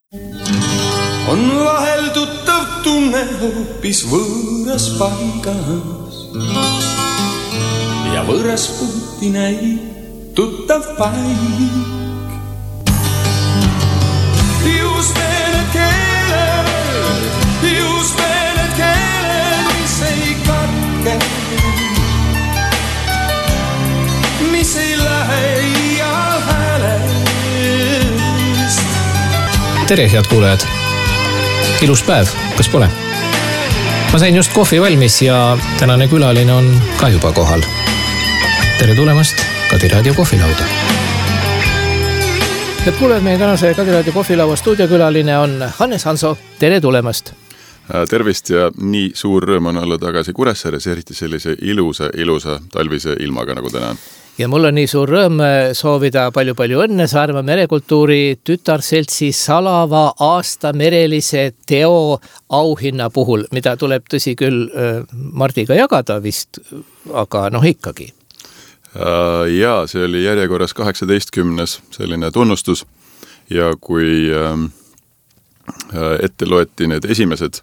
On vahel tuttav tunne hoopis võõras paigas ja võõras puuti näib tuttav paik. Just need keeled, mis ei katke, mis ei lähe iial häälest. Tere, head kuulajad! Ilus päev, kas pole? Ma sain just kohvi valmis ja tänane külaline on ka juba kohal. Tere tulemast Kadi Raadio kohvilauda. Head kuulajad, meie tänase Kadi Raadio kohvilaua stuudiokülaline on Hannes Hanso. Tere tulemast! Tervist ja nii suur rõõm on olla tagasi Kuressaares, eriti sellise ilusa talvise ilmaga nagu täna. Ja mul on nii suur rõõm soovida palju õnne Saaremaa merekultuuri tütarseltsi salava aasta merelise teo auhinna puhul, mida tuleb tõsi küll Mardiga jagada vist, aga ikkagi. Jaa, see oli järjekorras 18. selline tunnustus ja kui ette loeti need esimesed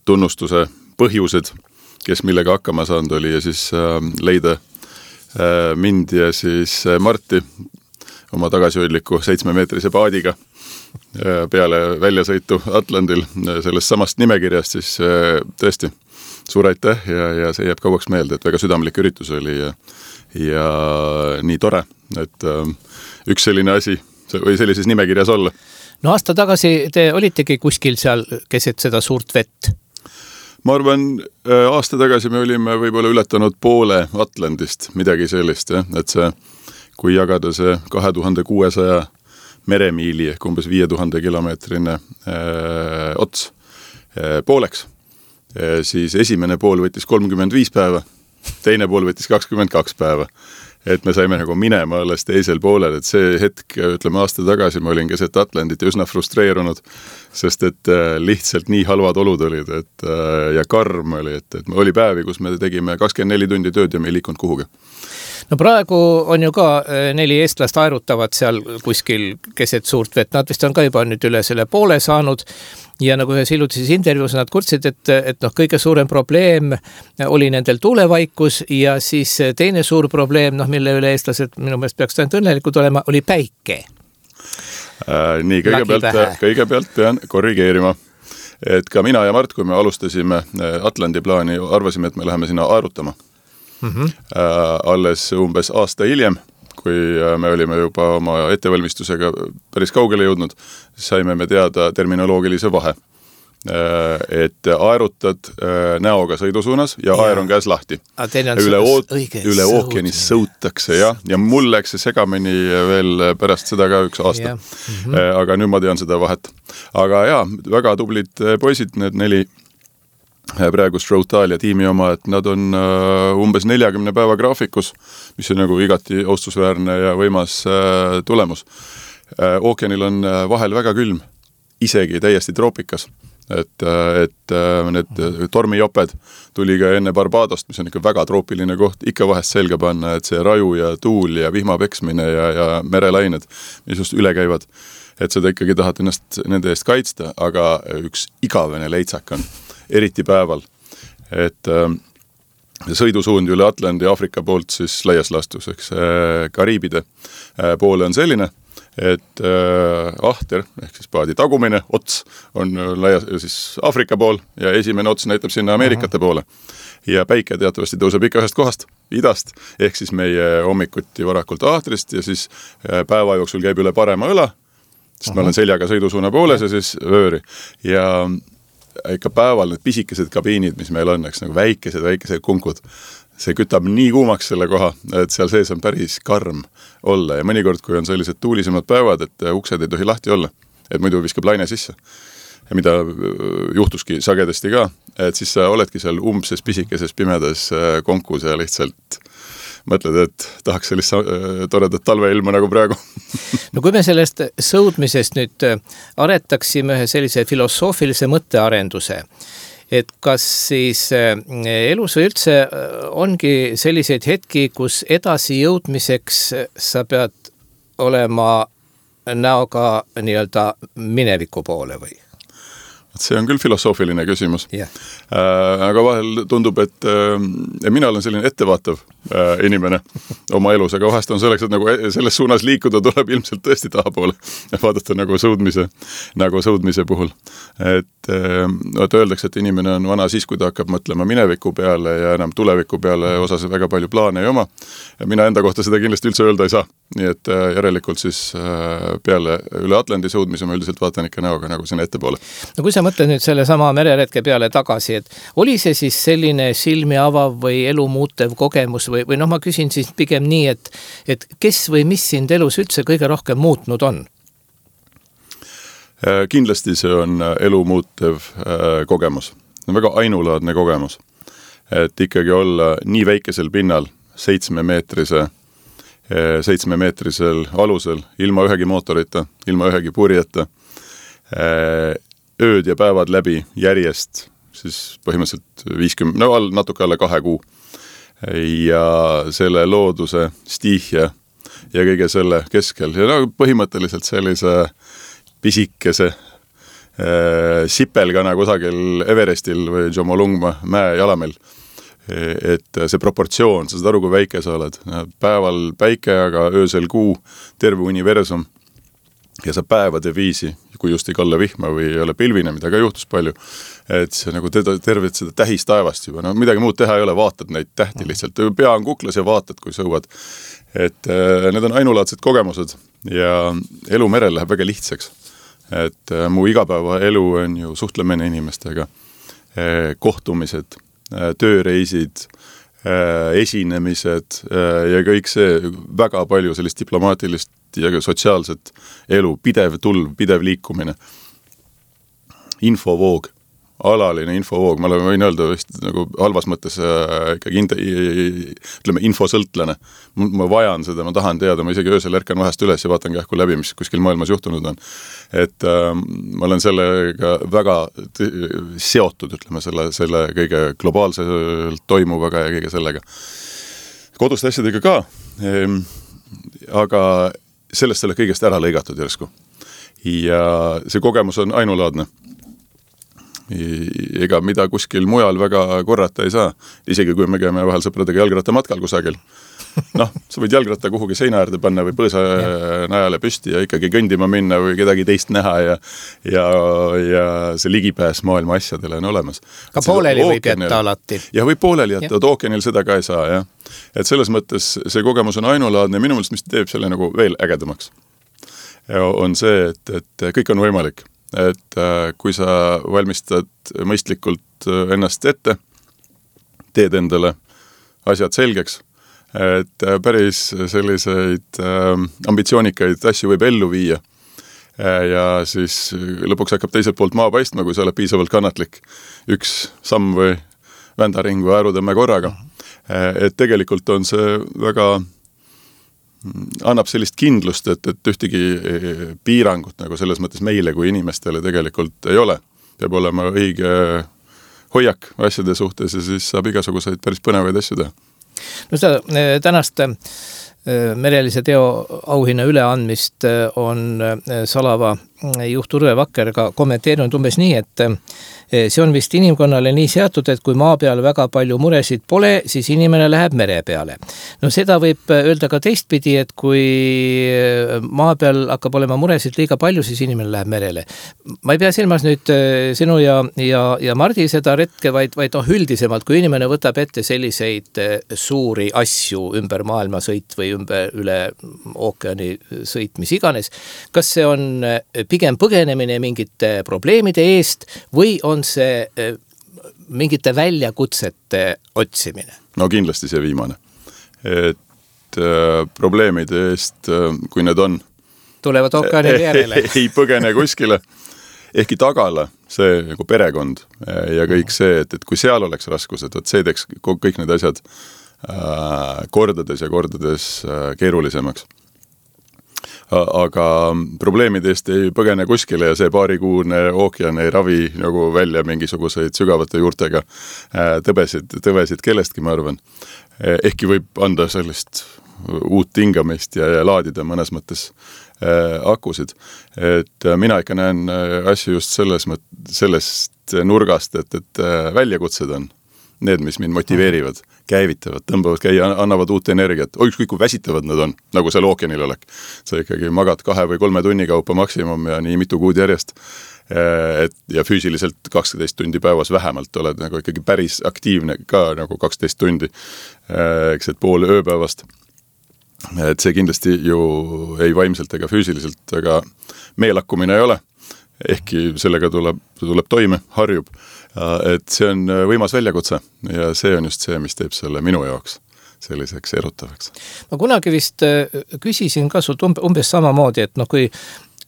tunnustuse põhjused, kes millega hakkama saanud oli ja siis leida mind ja siis Marti oma tagasihoidliku 7-meetrise paadiga peale väljasõitu Atlandil sellest samast nimekirjast, siis tõesti suur aitäh ja see jääb kauaks meelde, et väga südamlik üritus oli ja nii tore, et üks selline asi või sellises nimekirjas olla. No aasta tagasi te olitegi kuskil seal keset seda suurt vett? Ma arvan, aasta tagasi me olime võib-olla ületanud poole Atlandist, midagi sellist, et see, kui jagada see 2600 meremiili ehk umbes 5000 kilomeetrine ots pooleks, siis esimene pool võttis 35 päeva, teine pool võttis 22 päeva. Et me saime nagu minema alles teisel poolel, et see hetk, ütleme aasta tagasi, ma olin keset Atlandit ja üsna frustreerunud, sest et lihtsalt nii halvad olud olid ja karm oli, et oli päevi, kus me tegime 24 tundi tööd ja me ei liikunud kuhugi. No praegu on ju ka 4 eestlast aerutavad seal kuskil keset suurt vett, nad vist on ka juba nüüd üle selle poole saanud ja nagu ühes hilutises intervjuus nad kurtsid, et kõige suurem probleem oli nendel tuulevaikus ja siis teine suur probleem, mille üle eestlased minu meelest peaks ainult õnnelikud olema, oli päike. Nii, kõigepealt pean korrigeerima, et ka mina ja Mart, kui me alustasime Atlandi plaani, arvasime, et me läheme sinna aerutama. Alles umbes aasta hiljem, kui me olime juba oma ettevalmistusega päris kaugele jõudnud, saime me teada terminoloogilise vahe. Et aerutad näoga sõidusuunas ja aer on käes lahti. Üle ookeani sõutakse ja mul läks see segamini veel pärast seda ka üks aasta. Aga nüüd ma tean seda vahet. Aga jaa, väga tublid poisid, need 4 praegu Stroutalia tiimi oma, et nad on umbes 40 päeva graafikus, mis on nagu igati austusväärne ja võimas tulemus. Ookeanil on vahel väga külm, isegi täiesti troopikas. Et need tormijoped tuli ka enne Barbadost, mis on ikka väga troopiline koht, ikka vahest selga panna, et see raju ja tuul ja vihmapeksmine ja merelained, mis just üle käivad, et seda ikkagi tahad ennast nende eest kaitsta, aga üks igavene leitsak on eriti päeval, et sõidusuund üle Atlandi Aafrika poolt siis laias lastus, eks Kariibide poole on selline, et ahter, ehk siis paadi tagumine ots on laias siis Aafrika pool ja esimene ots näitab sinna Ameerikate poole. Ja päike teatavasti tõuseb ikka ühest kohast, idast, ehk siis meie hommikuti varakult ahtrist ja siis päeva jooksul käib üle parema õla, sest ma olen seljaga sõidusuuna pooles ja siis vööri. Ja ikka päeval need pisikesed kabiinid, mis meil on, eks nagu väikesed kunkud, see kütab nii kuumaks selle koha, et seal sees on päris karm olla ja mõnikord, kui on sellised tuulisemad päevad, et uksed ei tohi lahti olla, et muidu viskab laine sisse, mida juhtuski sagedasti ka, et siis sa oledki seal umbses pisikeses pimedas konkus ja lihtsalt mõtled, et tahaks sellist toredat talveilma nagu praegu. No kui me sellest sõudmisest nüüd aretaksime ühe sellise filosoofilise mõttearenduse, et kas siis elus või üldse ongi selliseid hetki, kus edasi jõudmiseks sa pead olema näoga nii-öelda mineviku poole või? See on küll filosoofiline küsimus. Yeah. Aga vahel tundub, et mina olen selline ettevaatav inimene oma elus, aga vahest on selleks, et nagu selles suunas liikuda, tuleb ilmselt tõesti tahapoole vaadata nagu sõudmise puhul. Et öeldakse, et inimene on vana siis, kui ta hakkab mõtlema mineviku peale ja enam tuleviku peale osas väga palju plaane ei oma. Mina enda kohta seda kindlasti üldse öelda ei saa. Nii et järelikult siis peale üle Atlandi sõudmise ma üldiselt vaatan ikka näoga nagu sinna ettepoole. No kui sa mõtled nüüd selle sama mereretke peale tagasi, et oli see siis selline silmi avav või elu muutev kogemus või noh, ma küsin siis pigem nii, et kes või mis sind elus üldse kõige rohkem muutnud on? Kindlasti see on elu muutev kogemus. See on väga ainulaadne kogemus. Et ikkagi olla nii väikesel pinnal 7-meetrisel alusel, ilma ühegi mootorita, ilma ühegi purjeta, ööd ja päevad läbi järjest, siis põhimõtteliselt 50, natuke alla 2 kuu. Ja selle looduse stiihja ja kõige selle keskel. Ja põhimõtteliselt sellise pisikese sipelgana kusagil Everestil või Jomolungma mäe jalamel. Et see proportsioon, sa saad aru, kui väike sa oled. Päeval päike, aga öösel kuu, terve universum. Ja sa päevade viisi, kui just ei kalle vihma või ei ole pilvine, mida ka juhtus palju, et see nagu tervet seda tähistaevast juba, no midagi muud teha ei ole, vaatad neid tähti lihtsalt, pea on kuklas ja vaatad, kui sõuad. Et need on ainulaadsed kogemused ja elu merel läheb väga lihtsaks. Et mu igapäeva elu on ju suhtlemine inimestega, kohtumised, tööreisid, esinemised ja kõik see väga palju sellist diplomaatilist ja sotsiaalset elu, pidev tulv, pidev liikumine. Infovoog, alaline infovoog, ma võin öelda vist nagu halvas mõttes ikkagi ütleme infosõltlane. Ma vajan seda, ma tahan teada, ma isegi öösel ärkan vahest üles ja vaatan kähku läbi, mis kuskil maailmas juhtunud on. Et ma olen sellega väga seotud, ütleme, selle kõige globaalselt toimuvaga ja kõige sellega. Koduste asjadega ka, aga sellest selle kõigest ära lõigatud järsku. Ja see kogemus on ainulaadne. Ega mida kuskil mujal väga korrata ei saa. Isegi kui me käime vahel sõpradega jalgratta matkal kusagil. Noh, sa võid jalgratta kuhugi seina äärde panna või põõsa najale püsti ja ikkagi kõndima minna või kedagi teist näha ja see ligipääs maailma asjadele on olemas. Ka pooleli võib jätta alati. Ja võib pooleli jätta, ookeanil seda ka ei saa, jah. Et selles mõttes see kogemus on ainulaadne ja minu meelest, mis teeb selle nagu veel ägedamaks, on see, et kõik on võimalik. Et kui sa valmistad mõistlikult ennast ette, teed endale asjad selgeks, et päris selliseid ambitsioonikaid asju võib ellu viia ja siis lõpuks hakkab teiselt poolt maa paistma, kui sa oled piisavalt kannatlik. Üks samm või vändaring või äärutõmme korraga. Et tegelikult on see väga annab sellist kindlust, et ühtegi piirangut nagu selles mõttes meile kui inimestele tegelikult ei ole. Peab olema õige hoiak asjade suhtes ja siis saab igasuguseid päris põnevaid asju teha. No seda tänast merelise teo auhinna üleandmist on Salava juht Urve Vakker ka kommenteerinud umbes nii, et see on vist inimkonnale nii seatud, et kui maa peal väga palju muresid pole, siis inimene läheb mere peale. No seda võib öelda ka teistpidi, et kui maa peal hakkab olema muresid liiga palju, siis inimene läheb merele. Ma ei pea silmas nüüd sinu ja Mardi seda retke, vaid üldisemalt, kui inimene võtab ette selliseid suuri asju ümber maailma sõit või üle ookeani sõit, mis iganes, kas see on pigem põgenemine mingite probleemide eest või on see mingite väljakutsete otsimine? No kindlasti see viimane. Et probleemide eest, kui need on, tulevad ookeanile järele. Ei põgene kuskile. Ehkki tagala see nagu perekond ja kõik see, et kui seal oleks raskused, et see teeks kõik need asjad kordades ja kordades keerulisemaks. Aga probleemide eest ei põgene kuskile ja see paarikuune ookean ei ravi nagu välja mingisuguseid sügavate juurtega tõbesid kellestki, ma arvan. Ehkki võib anda sellist uut tingamist ja laadida mõnes mõttes akusid. Et mina ikka näen asju just sellest nurgast, et väljakutsed on need, mis mind motiveerivad, käivitavad, tõmbavad käia, annavad uut energiat. Ükskõik kui väsitavad nad on, nagu seal ookeanil olek. Sa ikkagi magad 2 või 3 tunni kaupa maksimum ja nii mitu kuud järjest. Ja füüsiliselt 12 tundi päevas vähemalt oled nagu ikkagi päris aktiivne ka nagu 12 tundi, eks et pool ööpäevast. Et see kindlasti ju ei vaimselt ega füüsiliselt, aga meelakkumine ei ole. Ehkki sellega tuleb toime, harjub. Et see on võimas väljakutse ja see on just see, mis teeb selle minu jaoks selliseks erutavaks. Ma kunagi vist küsisin ka sult umbes samamoodi, et kui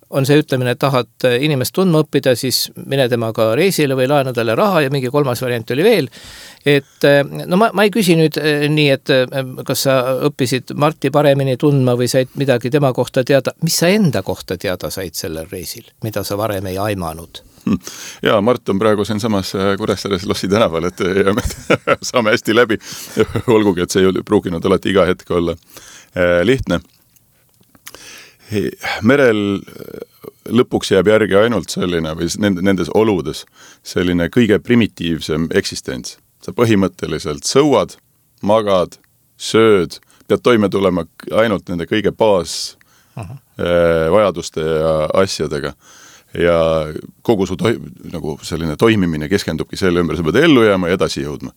on see ütlemine, et tahad inimest tundma õppida, siis mine temaga reisile või laena talle raha ja mingi 3. variant oli veel. Et ma ei küsi nüüd nii, et kas sa õppisid Marti paremini tundma või said midagi tema kohta teada. Mis sa enda kohta teada said sellel reisil, mida sa varem ei aimanud? Ja Mart on praegu siin samas Kuressaares Lossi tänaval, et saame hästi läbi. Olgugi, et see ei pruukinud alati iga hetk olla lihtne. Merel lõpuks jääb järgi ainult selline või nendes oludes selline kõige primitiivsem eksistents. Sa põhimõtteliselt sõuad, magad, sööd, pead toime tulema ainult nende kõige baas vajaduste ja asjadega. Ja kogu su nagu selline toimimine keskendubki selle ümber, sa pead ellu jääma ja edasi jõudma.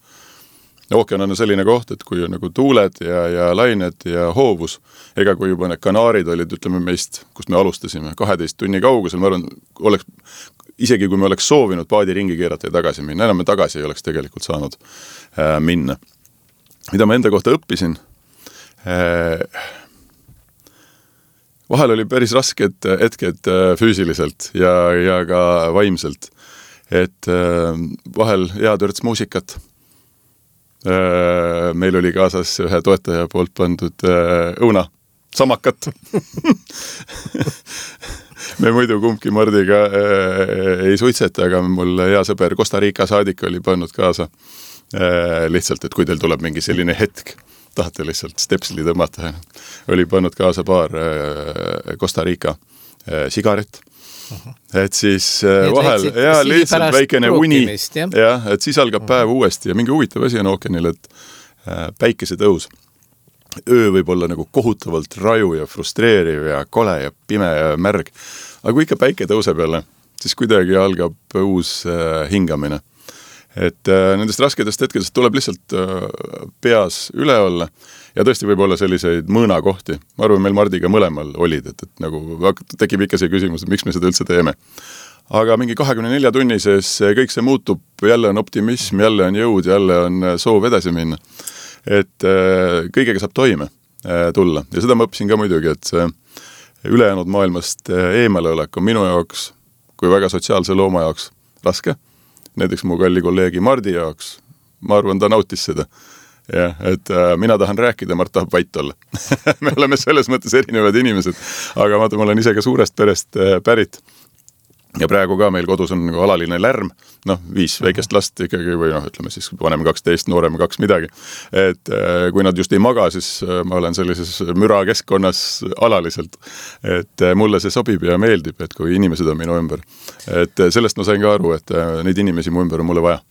Ookean on selline koht, et kui on nagu tuuled ja lained ja hoovus, ega kui juba need kanaarid olid, ütleme meist, kust me alustasime, 12 tunni kaugusel, ma arvan, isegi kui me oleks soovinud paadi ringi keerata ja tagasi minna, enam me tagasi ei oleks tegelikult saanud minna. Mida ma enda kohta õppisin? Vahel oli päris rasked hetked füüsiliselt ja ka vaimselt. Et vahel hea törts muusikat. Meil oli kaasas ühe toetaja poolt pandud õuna, samakat. Me muidu kumbki Mardiga ei suitseta, aga mul hea sõber Costa Rica saadik oli pannud kaasa lihtsalt, et kui teil tuleb mingi selline hetk, tahate lihtsalt stepsli tõmmata, oli pannud kaasa paar Costa Rica sigaret. Et siis vahel lihtsalt väikene uni et siis algab päev uuesti ja mingi huvitav asi on ookeanil, et päikese tõus. Öö võib olla nagu kohutavalt raju ja frustreeriv ja kole ja pime ja märg. Aga kui ikka päike tõuseb jälle, siis kuidagi algab uus hingamine. Et nendest raskedest hetkedest tuleb lihtsalt peas üle olla ja tõesti võib olla selliseid mõõnakohti. Ma arvan, meil Mardiga mõlemal olid, et nagu tekib ikka see küsimus, et miks me seda üldse teeme. Aga mingi 24 tunni sees kõik see muutub, jälle on optimism, jälle on jõud, jälle on soov edasi minna. Et kõigega saab toime tulla. Ja seda ma õppisin ka muidugi, et see ülejäänud maailmast eemale olek on minu jaoks, kui väga sotsiaalse looma jaoks raske. Näiteks mu kalli kolleegi Mardi jaoks, ma arvan, ta nautis seda. Ja, et mina tahan rääkida, Mart tahab vait olla. Me oleme selles mõttes erinevad inimesed, aga ma olen ise ka suurest perest pärit. Ja praegu ka meil kodus on nagu alaline lärm, 5 väikest last ikkagi või ütleme siis vanem 12, noorem 2 midagi. Et kui nad just ei maga, siis ma olen sellises müra keskkonnas alaliselt. Et mulle see sobib ja meeldib, et kui inimesed on minu ümber. Et sellest ma sain ka aru, et neid inimesi mu ümber on mulle vaja.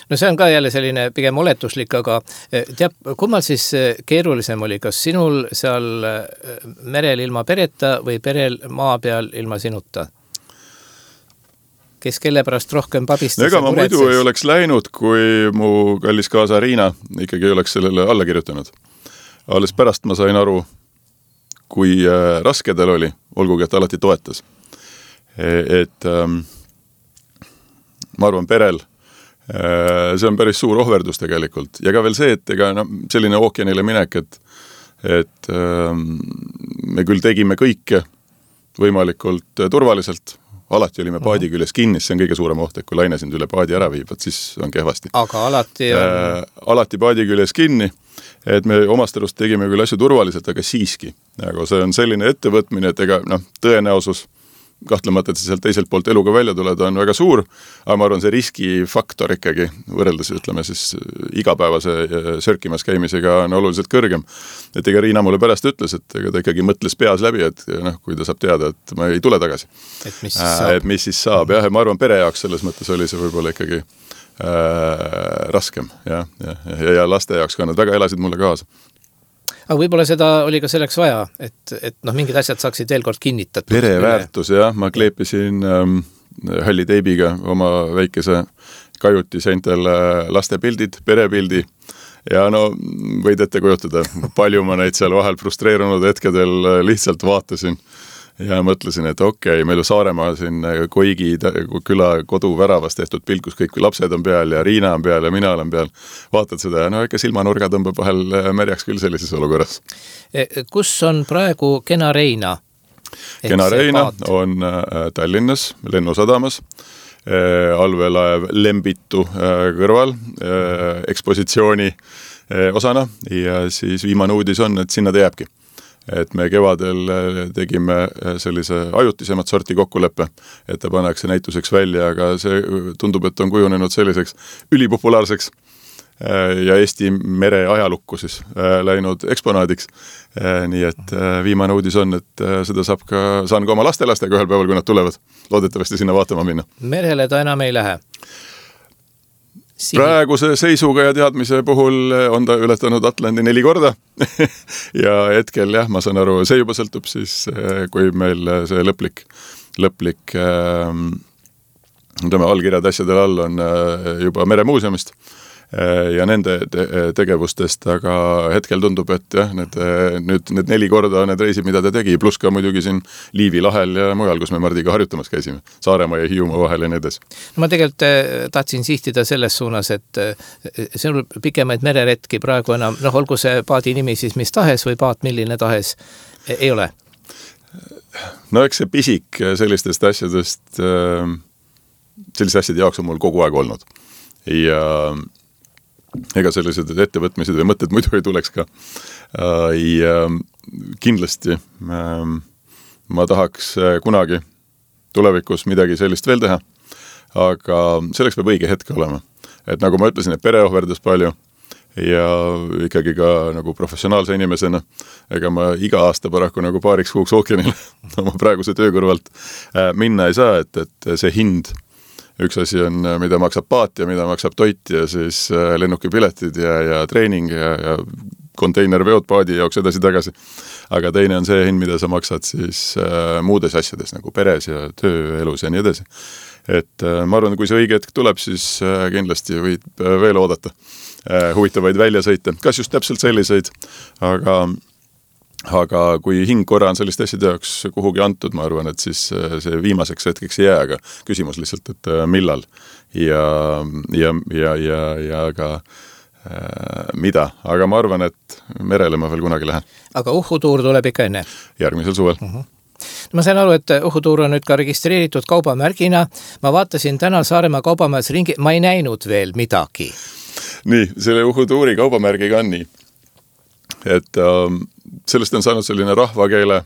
No see on ka jälle selline pigem oletuslik, aga teab, kummal siis keerulisem oli, kas sinul seal merel ilma pereta või perel maa peal ilma sinuta? Kes kelle pärast rohkem pabistas? Ega ma muidu ei oleks läinud, kui mu kallis kaasa Riina ikkagi ei oleks sellele alla kirjutanud. Alles pärast ma sain aru, kui raske tal oli, olgugi, et alati toetas. Et ma arvan, perel see on päris suur ohverdus tegelikult. Ja ka veel see, et ega selline ookeanile minek, et me küll tegime kõike võimalikult turvaliselt. Alati olime paadi küljes kinni, see on kõige suurem oht, et kui laine sind üle paadi ära viib, siis on kehvasti. Aga alati on... Alati paadi küljes kinni, et me omast arust tegime küll asju turvaliselt, aga siiski. Aga see on selline ettevõtmine, et ega tõenäosus kahtlemata, et sealt teiselt poolt eluga välja tuleda on väga suur, aga ma arvan, see riskifaktor ikkagi võrreldes, ütleme siis igapäevase sörkimas käimisega on oluliselt kõrgem. Et ega Riina mulle pärast ütles, et ega ta ikkagi mõtles peas läbi, et kui ta saab teada, et ma ei tule tagasi. Et mis siis saab. Jah, ma arvan, pere jaoks selles mõttes oli see võib-olla ikkagi raskem ja laste jaoks ka nad väga elasid mulle kaasa. Aga võib-olla seda oli ka selleks vaja, et mingid asjad saaksid veel kord kinnitatud. Pereväärtus, jah. Ma kleepisin halli teibiga oma väikese kajuti seintel laste pildid, perepildi ja võid ette kujutada, palju ma neid seal vahel frustreerunud hetkedel lihtsalt vaatasin ja mõtlesin, et meil ju Saaremaa siin Koigi küla koduväravas tehtud pilt, kus kõik lapsed on peal ja Riina on peal ja mina olen peal. Vaatad seda ja ikka silmanurga tõmbab vahel märjaks küll sellises olukorras. Kus on praegu Kena Reina? Kena Reina on Tallinnas lennusadamas, allveelaev Lembitu kõrval ekspositsiooni osana ja siis viimane uudis on, et sinna ta jääbki. Et me kevadel tegime sellise ajutisemat sorti kokkuleppe, et ta pannakse näituseks välja, aga see tundub, et on kujunenud selliseks ülipopulaarseks ja Eesti mere ajalukku siis läinud eksponaadiks. Nii et viimane uudis on, et seda saan ka oma lastelastega ühel päeval, kui nad tulevad. Loodetavasti sinna vaatama minna. Merele ta enam ei lähe? Praeguse seisuga ja teadmise puhul on ta ületanud Atlandi 4 korda ja hetkel ma saan aru, see juba sõltub siis, kui meil see lõplik allkirjad asjadel all on juba Meremuuseumist ja nende tegevustest, aga hetkel tundub, et need 4 korda on need reisid, mida ta tegi, pluss ka muidugi siin Liivi lahel ja mujal, kus me Mardiga harjutamas käisime, Saaremaa ja Hiiumaa vahel ja nii edes. Ma tegelikult tahtsin sihtida selles suunas, et see on pikemaid mereretki praegu enam, olgu see paadi nimi siis mis tahes või paat milline tahes, ei ole? Eks see pisik sellistest asjadest, selliste asjade jaoks on mul kogu aeg olnud ja ega sellised ettevõtmised või mõtted muidu ei tuleks ka. Ja kindlasti ma tahaks kunagi tulevikus midagi sellist veel teha, aga selleks peab õige hetk olema. Et nagu ma ütlesin, et pere ohverdas palju ja ikkagi ka nagu professionaalse inimesena, ega ma iga aasta paraku nagu paariks kuuks ookeanile oma praeguse töö kõrvalt minna ei saa, et see hind üks asi on, mida maksab paat ja mida maksab toit ja siis lennukipiletid ja treening ja konteinerveod paadi jaoks edasi-tagasi. Aga teine on see hind, mida sa maksad siis muudes asjades nagu peres ja tööelus ja nii edasi. Et ma arvan, kui see õige hetk tuleb, siis kindlasti võid veel oodata huvitavaid väljasõite. Kas just täpselt selliseid, aga kui hing korra on sellist asjade jaoks kuhugi antud, ma arvan, et siis see viimaseks hetkeks ei jää, aga küsimus lihtsalt, et millal ja ka mida. Aga ma arvan, et merele ma veel kunagi lähen. Aga uhutuur tuleb ikka enne? Järgmisel suvel. Ma sain aru, et uhutuur on nüüd ka registreeritud kaubamärgina. Ma vaatasin täna Saaremaa kaubamajas ringi, ma ei näinud veel midagi. Nii, selle uhutuuri kaubamärgiga on nii, et sellest on saanud selline rahvakeele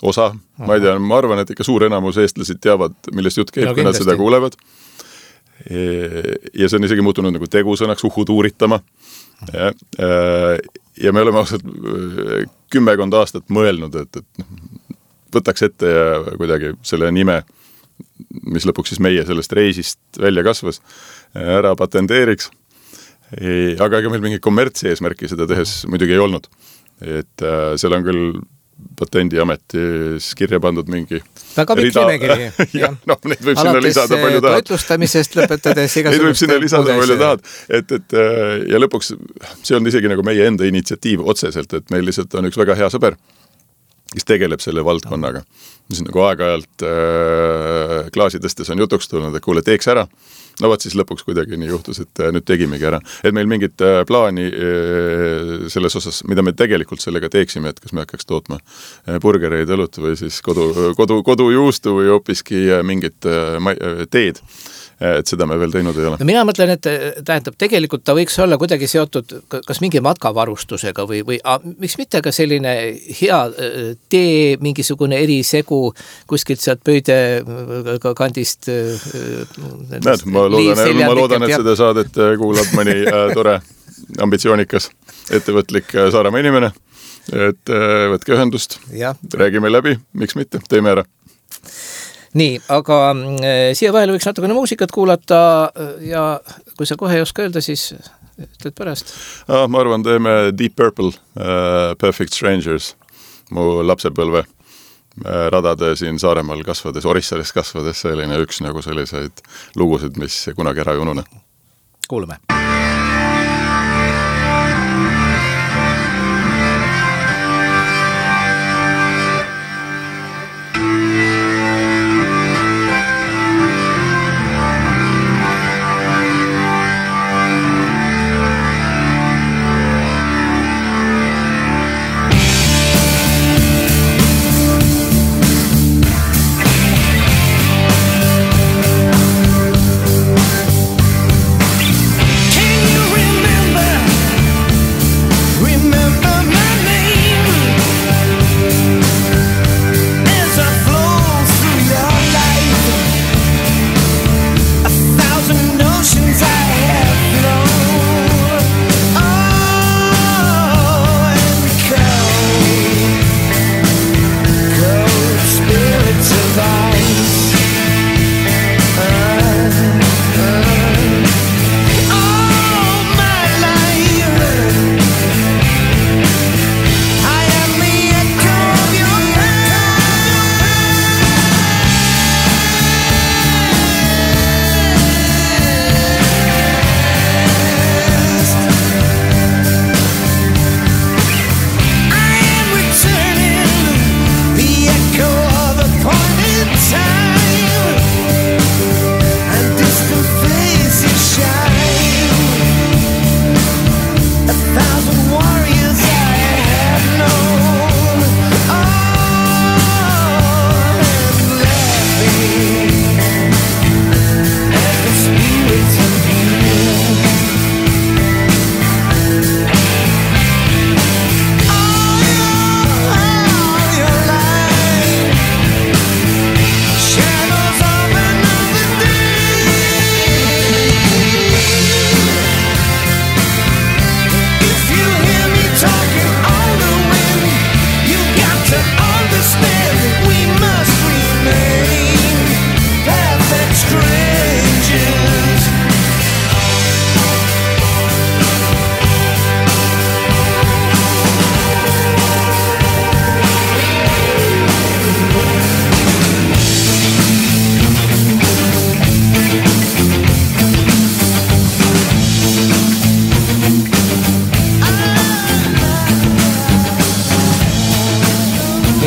osa. Ma ei tea, ma arvan, et ikka suur enamus eestlasid teavad, millest jutt käib, kui nad seda kuulevad. Ja see on isegi muutunud nagu tegusõnaks uhutuuritama. Ja me oleme ausalt 10 aastat mõelnud, et võtaks ette ja kuidagi selle nime, mis lõpuks siis meie sellest reisist välja kasvas, ära patenteeriks. Aga ega meil mingi kommertsi eesmärki seda tehes muidugi ei olnud. Et seal on küll Patendiametis kirja pandud mingi väga pikk nimekiri. Neid võib sinna lisada palju tahad. Alates toitlustamisest lõpetades igasugust. Neid võib sinna lisada palju tahad. Ja lõpuks see on isegi nagu meie enda initsiatiiv otseselt, et meil lihtsalt on üks väga hea sõber, kes tegeleb selle valdkonnaga. Mis on nagu aeg-ajalt klaasi tõstes on jutuks tulnud, et kuule, teeks ära. No vaat siis lõpuks kuidagi nii juhtus, et nüüd tegimegi ära. Et meil mingit plaani selles osas, mida me tegelikult sellega teeksime, et kas me hakkaks tootma burgereid, õlut või siis kodujuustu või hoopiski mingit teed. et seda me veel teinud ei ole. No mina mõtlen, et tähendab, tegelikult ta võiks olla kuidagi seotud kas mingi matkavarustusega või miks mitte ka selline hea tee, mingisugune erisegu kuskilt sealt Pöide kandist. Näed, ma loodan, et seda saadet kuulab mõni tore, ambitsioonikas, ettevõtlik Saaremaa inimene, et võtke ühendust, räägime läbi, miks mitte, teeme ära. Nii, aga siia vahele võiks natukene muusikat kuulata ja kui sa kohe ei oska öelda, siis ütled pärast. Ma arvan, teeme Deep Purple, Perfect Strangers, mu lapsepõlve radade siin Saaremaal kasvades, Orissares kasvades, selline üks nagu selliseid lugusid, mis kunagi ära ei unune. Kuulame.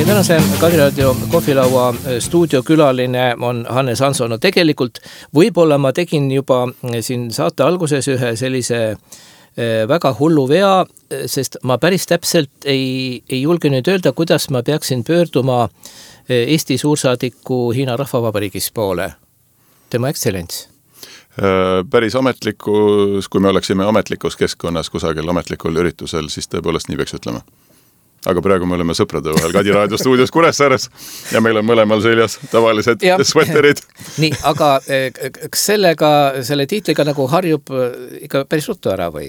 Tänase Kadriradio kohvilaua stuudiokülaline on Hannes Hanso. No tegelikult võib-olla ma tegin juba siin saate alguses ühe sellise väga hullu vea, sest ma päris täpselt ei julge nüüd öelda, kuidas ma peaksin pöörduma Eesti suursaadiku Hiina Rahvavabariigis poole. Tema ekstsellents. Päris ametlikus, kui me oleksime ametlikus keskkonnas kusagil ametlikul üritusel, siis tõepoolest nii peaks ütlema. Aga praegu me oleme sõprade vahel Kadiraadio stuudios Kuressaares ja meil on mõlemal seljas tavalised sweaterid. Nii, aga kas selle tiitliga nagu harjub ikka päris ruttu ära või?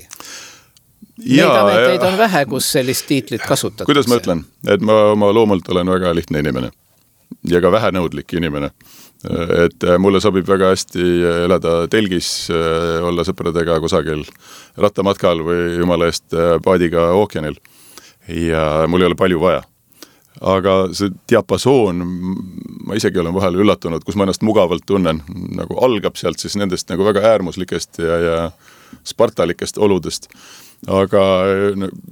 Neid ameteid on vähe, kus sellist tiitlit kasutatakse. Kuidas ma ütlen? Et ma oma loomult olen väga lihtne inimene ja ka vähenõudlik inimene. Et mulle sobib väga hästi elada telgis, olla sõpradega kusagil rattamatkal või jumala eest paadiga ookeanil. Ja mul ei ole palju vaja. Aga see diapasoon, ma isegi olen vahel üllatunud, kus ma ennast mugavalt tunnen, nagu algab sealt siis nendest nagu väga äärmuslikest ja spartalikest oludest. Aga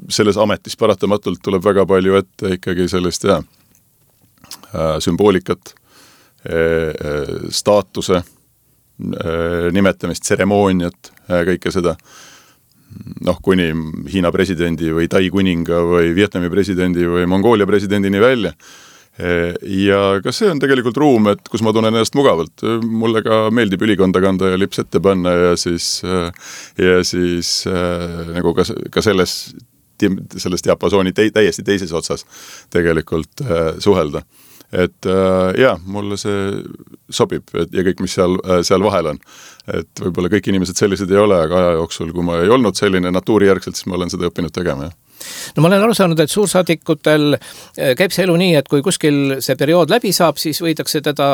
selles ametis paratamatult tuleb väga palju ette ikkagi sellist sümboolikat, staatuse, nimetamist, tseremooniat, kõike seda. Kuni Hiina presidendi või Tai kuninga või Vietnami presidendi või Mongoolia presidendini välja. Ja ka see on tegelikult ruum, et kus ma tunnen ennast mugavalt. Mulle ka meeldib ülikonda kanda ja lips ette panna ja siis nagu ka selles diapasooni täiesti teises otsas tegelikult suhelda. Et mulle see sobib ja kõik, mis seal vahel on. Et võib-olla kõik inimesed sellised ei ole, aga aja jooksul, kui ma ei olnud selline natuurijärgselt, siis ma olen seda õppinud tegema, jah. No ma olen aru saanud, et suursaadikutel käib see elu nii, et kui kuskil see periood läbi saab, siis võidakse teda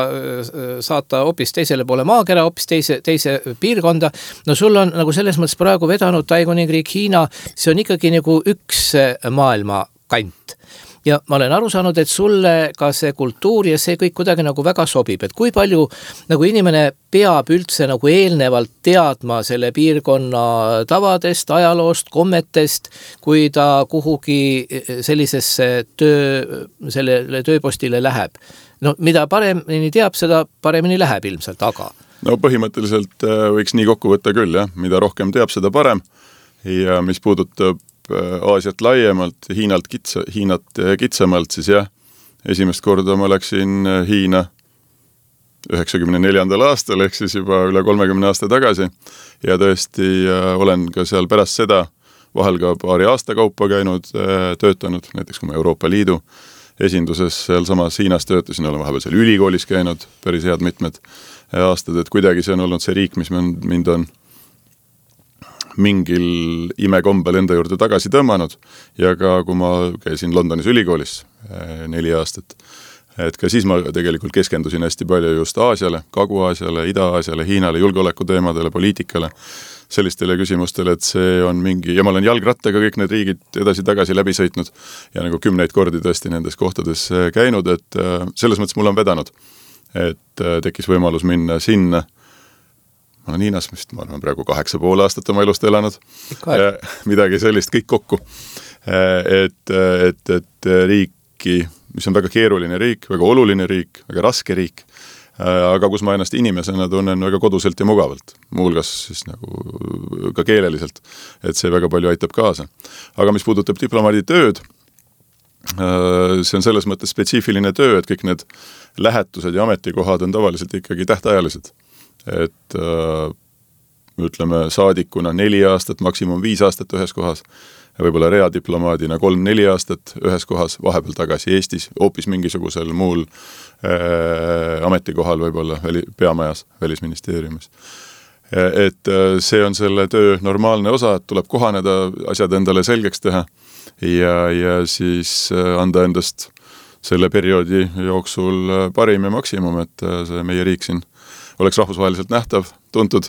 saata hoopis teisele poole maakera, hoopis teise piirkonda. No sul on nagu selles mõttes praegu vedanud Taikuningriik, Hiina, see on ikkagi nagu üks maailma kant. Ja ma olen aru saanud, et sulle ka see kultuur ja see kõik kuidagi nagu väga sobib, et kui palju nagu inimene peab üldse nagu eelnevalt teadma selle piirkonna tavadest, ajaloost, kommetest, kui ta kuhugi sellisesse sellele tööpostile läheb. No mida paremini teab, seda paremini läheb ilmselt, aga... No põhimõtteliselt võiks nii kokku võtta küll, jah. Mida rohkem teab, seda parem. Ja mis puudutab Aasiat laiemalt, Hiinat kitsamalt, siis jah, esimest korda ma läksin Hiina 94. aastal, ehk siis juba üle 30 aasta tagasi ja tõesti olen ka seal pärast seda vahel ka paari aasta kaupa käinud, töötanud, näiteks kui ma Euroopa Liidu esinduses seal samas Hiinas töötasin, olen vahepeal seal ülikoolis käinud päris head mitmed aastad, et kuidagi see on olnud see riik, mis mind on mingil imekombel enda juurde tagasi tõmmanud ja ka kui ma käisin Londonis ülikoolis 4 aastat, et ka siis ma tegelikult keskendusin hästi palju just Aasiale, Kagu-Aasiale, Ida-Aasiale, Hiinale, julgeolekuteemadele, poliitikale, sellistele küsimustele, et see on mingi, ja ma olen jalgrattaga kõik need riigid edasi-tagasi läbi sõitnud ja nagu 10 kordi tõesti nendes kohtades käinud, et selles mõttes mul on vedanud, et tekkis võimalus minna sinna. Ma olen Hiinas, ma olen praegu 8,5 aastat oma elust elanud. Midagi sellist kõik kokku. Et riiki, mis on väga keeruline riik, väga oluline riik, väga raske riik, aga kus ma ennast inimesena tunnen väga koduselt ja mugavalt. Muuhulgas siis nagu ka keeleliselt, et see väga palju aitab kaasa. Aga mis puudutab diplomaadi tööd, see on selles mõttes spetsiifiline töö, et kõik need lähetused ja ametikohad on tavaliselt ikkagi tähtajalised. Et ütleme saadikuna 4 aastat, maksimum 5 aastat ühes kohas, võib-olla readiplomaadina 3-4 aastat ühes kohas, vahepeal tagasi Eestis, hoopis mingisugusel muul ametikohal võib-olla peamajas, välisministeeriumis. Et see on selle töö normaalne osa, et tuleb kohaneda, asjad endale selgeks teha ja siis anda endast selle perioodi jooksul parim ja maksimum, et see meie riik siin oleks rahvusvaheliselt nähtav, tuntud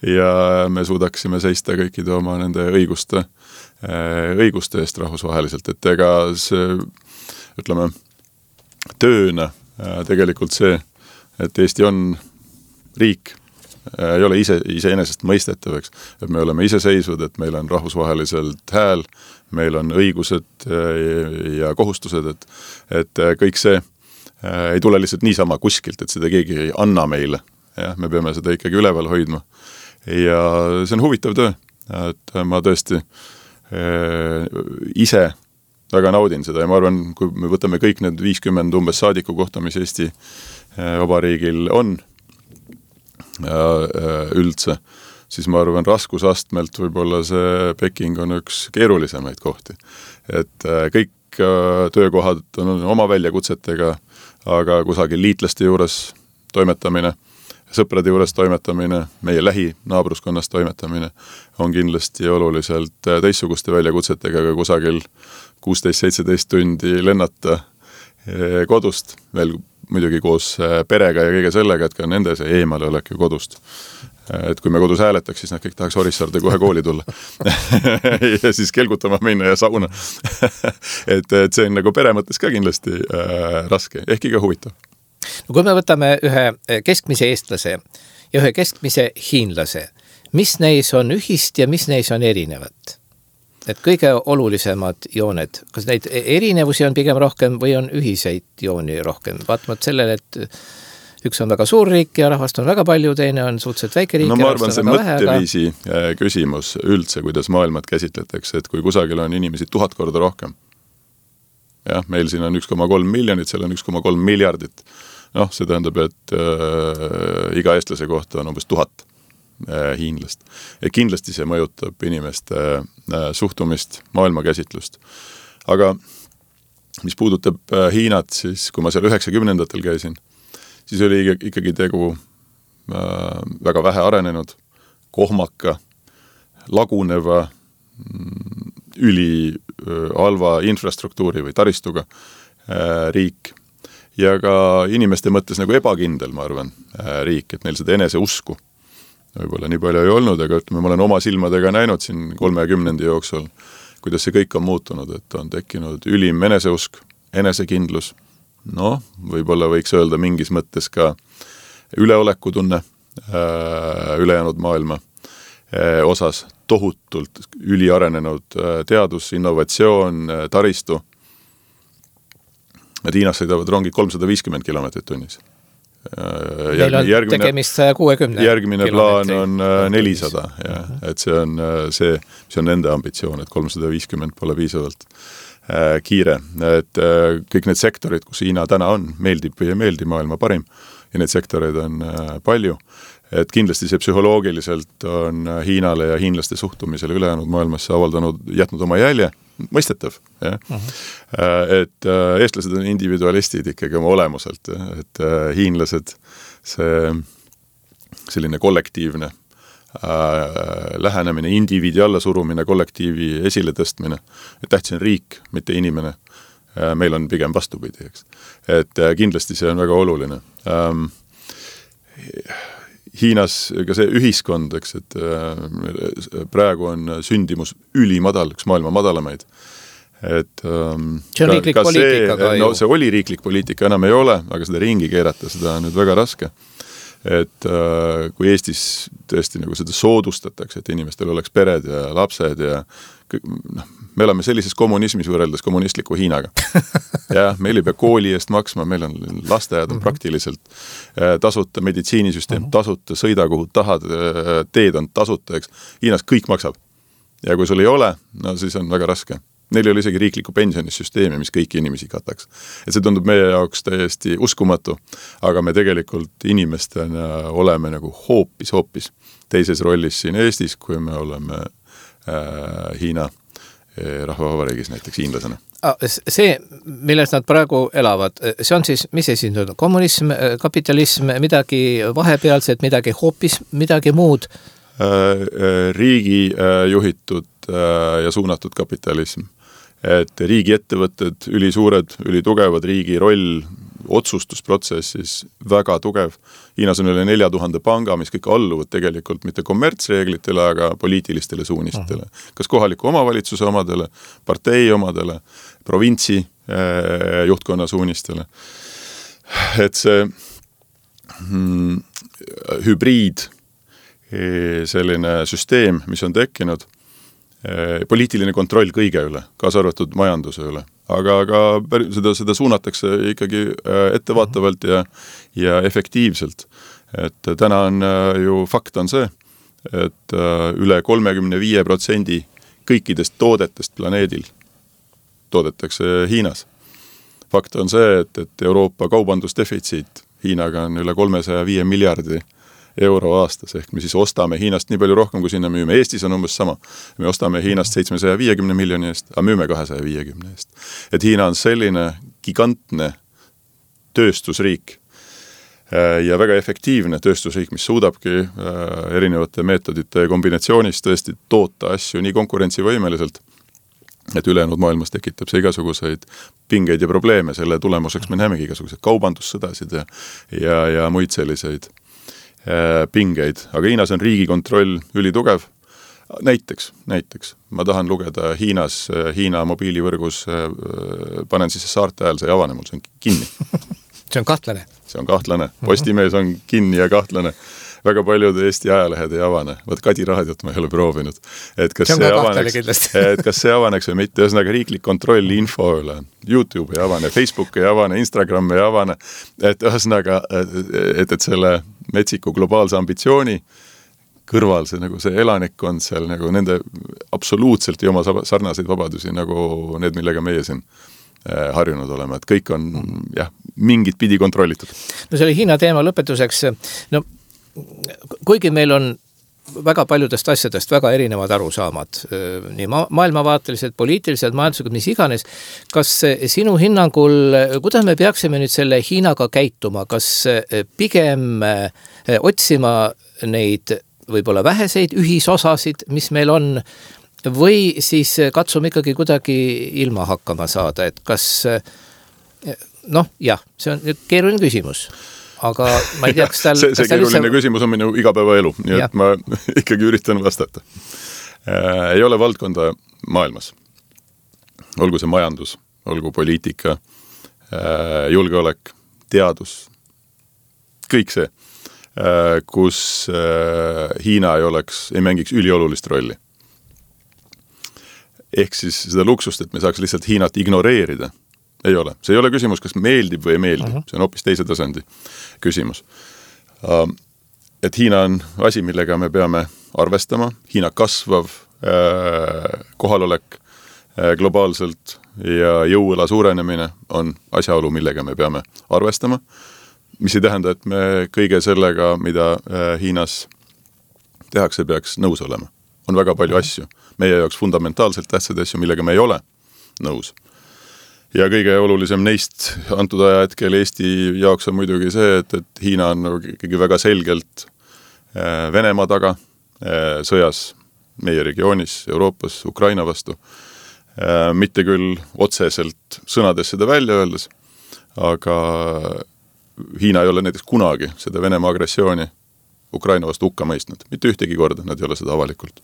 ja me suudaksime seista kõikide oma nende õiguste eest rahvusvaheliselt, et ega see, ütleme, tööna tegelikult see, et Eesti on riik, ei ole iseenesest mõistetavaks, et me oleme iseseisvad, et meil on rahvusvaheliselt hääl, meil on õigused ja kohustused, et kõik see ei tule lihtsalt niisama kuskilt, et seda keegi ei anna meile. Ja, me peame seda ikkagi üleval hoidma. Ja see on huvitav töö, et ma tõesti ise väga naudin seda ja ma arvan, kui me võtame kõik need 50 umbes saadiku kohta, mis Eesti Vabariigil on üldse, siis ma arvan, raskusastmelt võib-olla see Peking on üks keerulisemaid kohti. Et kõik töökohad on oma väljakutsetega, aga kusagil liitlaste juures toimetamine, sõprade juures toimetamine, meie lähinaabruskonnas toimetamine on kindlasti oluliselt teissuguste väljakutsetega, aga kusagil 16-17 tundi lennata kodust, veel muidugi koos perega ja kõige sellega, et ka nende see eemale olek ju kodust. Et kui me kodus hääletaks, siis nad kõik tahaks Orissaarde kohe kooli tulla ja siis kelgutama minna ja sauna. et see on nagu pere mõttes ka kindlasti raske, ehkki ka huvitav. No kui me võtame ühe keskmise eestlase ja ühe keskmise hiinlase, mis neis on ühist ja mis neis on erinevat? Et kõige olulisemad jooned, kas neid erinevusi on pigem rohkem või on ühiseid jooni rohkem? Vaatavad sellele, et üks on väga suur riik ja rahvast on väga palju, teine on suhteliselt väike riik. No ma arvan, see mõtteviisi küsimus üldse, kuidas maailmat käsitletakse, et kui kusagil on inimesi 1000 korda rohkem, jah, meil siin on 1,3 miljonit, seal on 1,3 miljardit. Noh, see tähendab, et iga eestlase kohta on umbes 1000 hiinlast. Ja kindlasti see mõjutab inimeste suhtumist, maailmakäsitlust. Aga mis puudutab Hiinat, siis kui ma seal 90-ndatel käisin, siis oli ikkagi tegu väga vähe arenenud, kohmaka, laguneva, üli halva infrastruktuuri või taristuga riik. Ja ka inimeste mõttes nagu ebakindel, ma arvan, riik, et neil seda enese usku võib-olla nii palju ei olnud, aga ütleme, ma olen oma silmadega näinud siin 30 jooksul, kuidas see kõik on muutunud, et on tekkinud ülim eneseusk, enesekindlus, noh, võib-olla võiks öelda mingis mõttes ka üleolekutunne ülejäänud maailma osas, tohutult üliarenenud teadus, innovatsioon, taristu. Nad Hiinas sõidavad rongid 350 kilomeetrit tunnis. Meil on tegemist 160 järgmine plaan on 400, ja, et see on see, mis on nende ambitsioon, et 350 pole piisavalt kiire. Et kõik need sektorid, kus Hiina täna on, meeldib või ei meeldi, maailma parim, ja need sektoreid on palju. Et kindlasti see psühholoogiliselt on Hiinale ja hiinlaste suhtumisele ülejäänud maailmas jätnud oma jälje, mõistetav. Ja? Et eestlased on individualistid ikkagi oma olemuselt, et hiinlased selline kollektiivne lähenemine, indiviidi allasurumine, kollektiivi esile tõstmine, et tähtis on riik, mitte inimene. Meil on pigem vastupidi, eks. Et kindlasti see on väga oluline. Hiinas ka see ühiskond, eks, et praegu on sündimus ülimadal, üks maailma madalamaid. Et, see on riiklik poliitika ka ju. No, see oli riiklik poliitika, enam ei ole, aga seda ringi keerata, seda on nüüd väga raske. Et kui Eestis tõesti nagu seda soodustatakse, et inimestel oleks pered ja lapsed ja me oleme sellises kommunismis võrreldes kommunistliku Hiinaga. Ja meil ei pea kooli eest maksma, meil on lasteajad on praktiliselt tasuta, meditsiinisüsteem tasuta, sõida kuhu tahad, teed on tasuta, eks. Hiinas kõik maksab. Ja kui sul ei ole, no siis on väga raske. Neil ei ole isegi riikliku pensionisüsteemi, mis kõiki inimesi kataks. Et see tundub meie jaoks täiesti uskumatu, aga me tegelikult inimestena oleme nagu hoopis teises rollis siin Eestis, kui me oleme Hiina rahvavabariigis näiteks hiinlasena. See, milles nad praegu elavad, see on siis, mis esindanud? Kommunism, kapitalism, midagi vahepealset, midagi hoopis, midagi muud? Riigi juhitud ja suunatud kapitalism. Et riigi ettevõtted, ülisuured, ülitugevad, riigi roll otsustusprotsessis väga tugev. Hiinas on üle 4000 panga, mis kõik alluvad tegelikult mitte kommertsreeglitele, aga poliitilistele suunistele. Kas kohaliku omavalitsuse omadele, partei omadele, provintsi juhtkonna suunistele. Et see hübriid, selline süsteem, mis on tekkinud, poliitiline kontroll kõige üle, kaasa arvatud majanduse üle. Aga seda suunatakse ikkagi ettevaatavalt ja efektiivselt. Et täna on ju fakt on see, et üle 35% kõikidest toodetest planeedil toodetakse Hiinas. Fakt on see, et Euroopa kaubandusdefitsiit Hiinaga on üle 305 miljardi euro aastas, ehk me siis ostame Hiinast nii palju rohkem, kui sinna müüme. Eestis on umbes sama. Me ostame Hiinast 750 miljoni eest, aga müüme 250 eest. Et Hiina on selline gigantne tööstusriik ja väga efektiivne tööstusriik, mis suudabki erinevate meetodite kombinatsioonis tõesti toota asju nii konkurentsivõimeliselt, et ülejäänud maailmas tekitab see igasuguseid pingeid ja probleeme. Selle tulemuseks me näemegi igasuguseid kaubandussõdasid ja muid selliseid pingeid, aga Hiinas on riigikontroll ülitugev. Näiteks, ma tahan lugeda Hiina mobiilivõrgus, panen siis saarte ajal, see ei avane mul, see on kinni. See on kahtlane. See on kahtlane. Postimees on kinni ja kahtlane. Väga paljud Eesti ajalehed ei avane. Võt Kadi raadiot ma ei ole proovinud. Et kas see avaneks või mitte, ühesõnaga riiklik kontroll info üle. YouTube ei avane, Facebook ei avane, Instagram ei avane. Et ühesõnaga, et selle metsiku globaalse ambitsiooni kõrval see elanikkond seal nagu nende absoluutselt ei oma sarnaseid vabadusi nagu need, millega meie siin harjunud olema, et kõik on mingit pidi kontrollitud. No selle Hiina teema lõpetuseks, no kuigi meil on väga paljudest asjadest väga erinevad arusaamad, nii maailmavaateliselt, poliitiliselt, majanduslikult, mis iganes. Kas sinu hinnangul, kuidas me peaksime nüüd selle Hiinaga käituma? Kas pigem otsima neid võib-olla väheseid ühisosasid, mis meil on, või siis katsume ikkagi kuidagi ilma hakkama saada, et kas, see on nüüd keeruline küsimus. Aga ma ei tea, kas tal... See keeruline küsimus on minu igapäevaelu, nii et ma ikkagi üritan vastata. Ei ole valdkonda maailmas. Olgu see majandus, olgu poliitika, julgeolek, teadus, kõik see, kus Hiina ei mängiks üliolulist rolli. Ehk siis seda luksust, et me saaks lihtsalt Hiinat ignoreerida, ei ole. See ei ole küsimus, kas meeldib või ei meeldi. See on hoopis teise tasandi küsimus. Et Hiina on asi, millega me peame arvestama. Hiina kasvav kohalolek globaalselt ja jõuõla suurenemine on asjaolu, millega me peame arvestama. Mis ei tähenda, et me kõige sellega, mida Hiinas tehakse, peaks nõus olema. On väga palju asju. Meie jaoks fundamentaalselt tähtsad asju, millega me ei ole nõus. Ja kõige olulisem neist antud aja hetkel Eesti jaoks on muidugi see, et Hiina on ikkagi väga selgelt Venemaa taga sõjas meie regioonis, Euroopas, Ukraina vastu. Mitte küll otseselt sõnades seda välja öeldes, aga Hiina ei ole näiteks kunagi seda Venemaa agressiooni Ukraina vastu hukka mõistnud. Mitte ühtegi korda, nad ei ole seda avalikult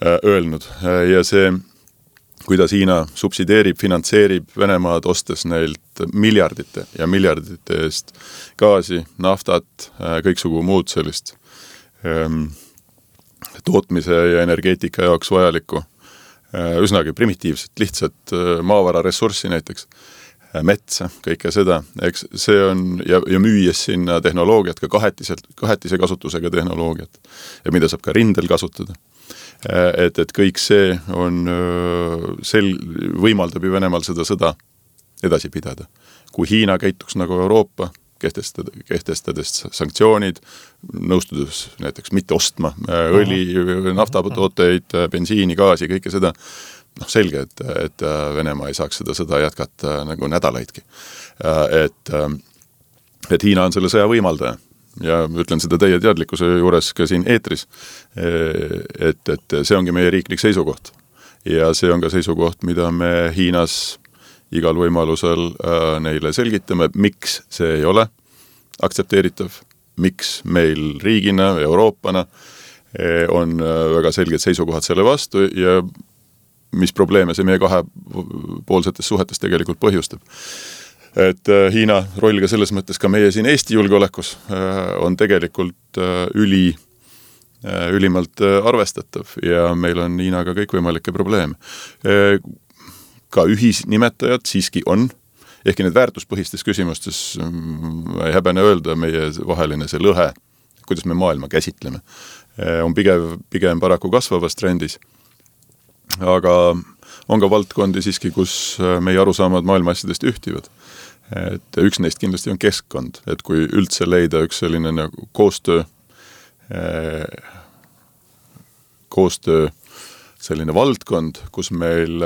öelnud. Ja see kuidas Hiina subsideerib, finantseerib Venemaad ostes neilt miljardite ja miljardite eest gaasi, naftat, kõiksugu muud sellist tootmise ja energeetika jaoks vajalikku, üsnagi primitiivset, lihtsalt maavara ressurssi näiteks, metsa, kõike seda. Eks see on, ja müües sinna tehnoloogiat, ka kahetise kasutusega tehnoloogiat, ja mida saab ka rindel kasutada. Et kõik see on võimaldab ju Venemaal seda sõda edasi pidada. Kui Hiina käituks nagu Euroopa, kehtestades sanktsioonid, nõustudes näiteks mitte ostma õli, naftatooteid, bensiini, gaasi, kõike seda, selge, et Venemaa ei saaks seda sõda jätkata nagu nädalaidki. Et Hiina on selle sõja võimaldaja. Ja ütlen seda teie teadlikkuse juures ka siin eetris, et see ongi meie riiklik seisukoht. Ja see on ka seisukoht, mida me Hiinas igal võimalusel neile selgitame, miks see ei ole aktsepteeritav, miks meil riigina, Euroopana on väga selged seisukohad selle vastu ja mis probleeme see meie kahepoolsetes suhetes tegelikult põhjustab. Et Hiina roll ka selles mõttes ka meie siin Eesti julgeolekus on tegelikult ülimalt arvestatav ja meil on Hiinaga kõikvõimalikke probleeme. Ka ühisnimetajad siiski on, ehkki need väärtuspõhistes küsimustes ei häbene öelda meie vaheline see lõhe, kuidas me maailma käsitleme, on pigem paraku kasvavas trendis. Aga on ka valdkondi siiski, kus meie arusaamad maailma asjadest ühtivad. Et üks neist kindlasti on keskkond, et kui üldse leida üks selline nagu koostöö selline valdkond, kus meil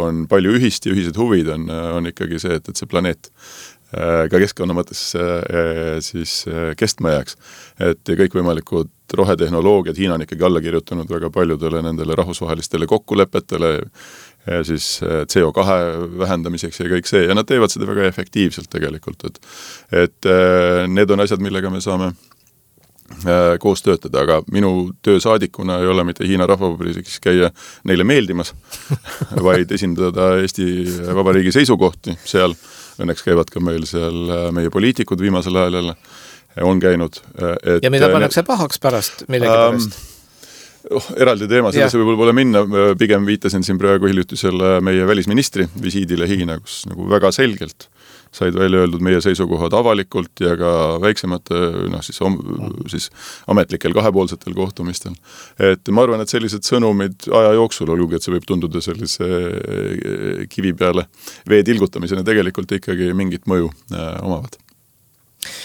on palju ühist ja ühised huvid, on ikkagi see, et see planeet ka keskkonna mõttes siis kestma jääks. Et kõikvõimalikud rohetehnoloogiad, Hiina on ikkagi alla kirjutanud väga paljudele nendele rahvusvahelistele kokkulepetele, siis CO2 vähendamiseks ja kõik see, ja nad teevad seda väga efektiivselt tegelikult, et need on asjad, millega me saame koos töötada, aga minu töösaadikuna ei ole mitte Hiina rahvavabariigis käia neile meeldimas, vaid esindada Eesti Vabariigi seisukohti seal. Õnneks käivad ka meil seal meie poliitikud viimasel ajal on käinud. Ja mida pannakse pahaks pärast millegi pärast? Eraldi teema, sellesse võib-olla minna, pigem viitasin siin praegu hiljutisele meie välisministri visiidile Hiina, kus nagu väga selgelt said välja öeldud meie seisukohad avalikult ja ka väiksemate siis ametlikel kahepoolsetel kohtumistel. Et ma arvan, et sellised sõnumid aja jooksul, olgugi, et see võib tunduda sellise kivi peale vee tilgutamisena, tegelikult ikkagi mingit mõju omavad.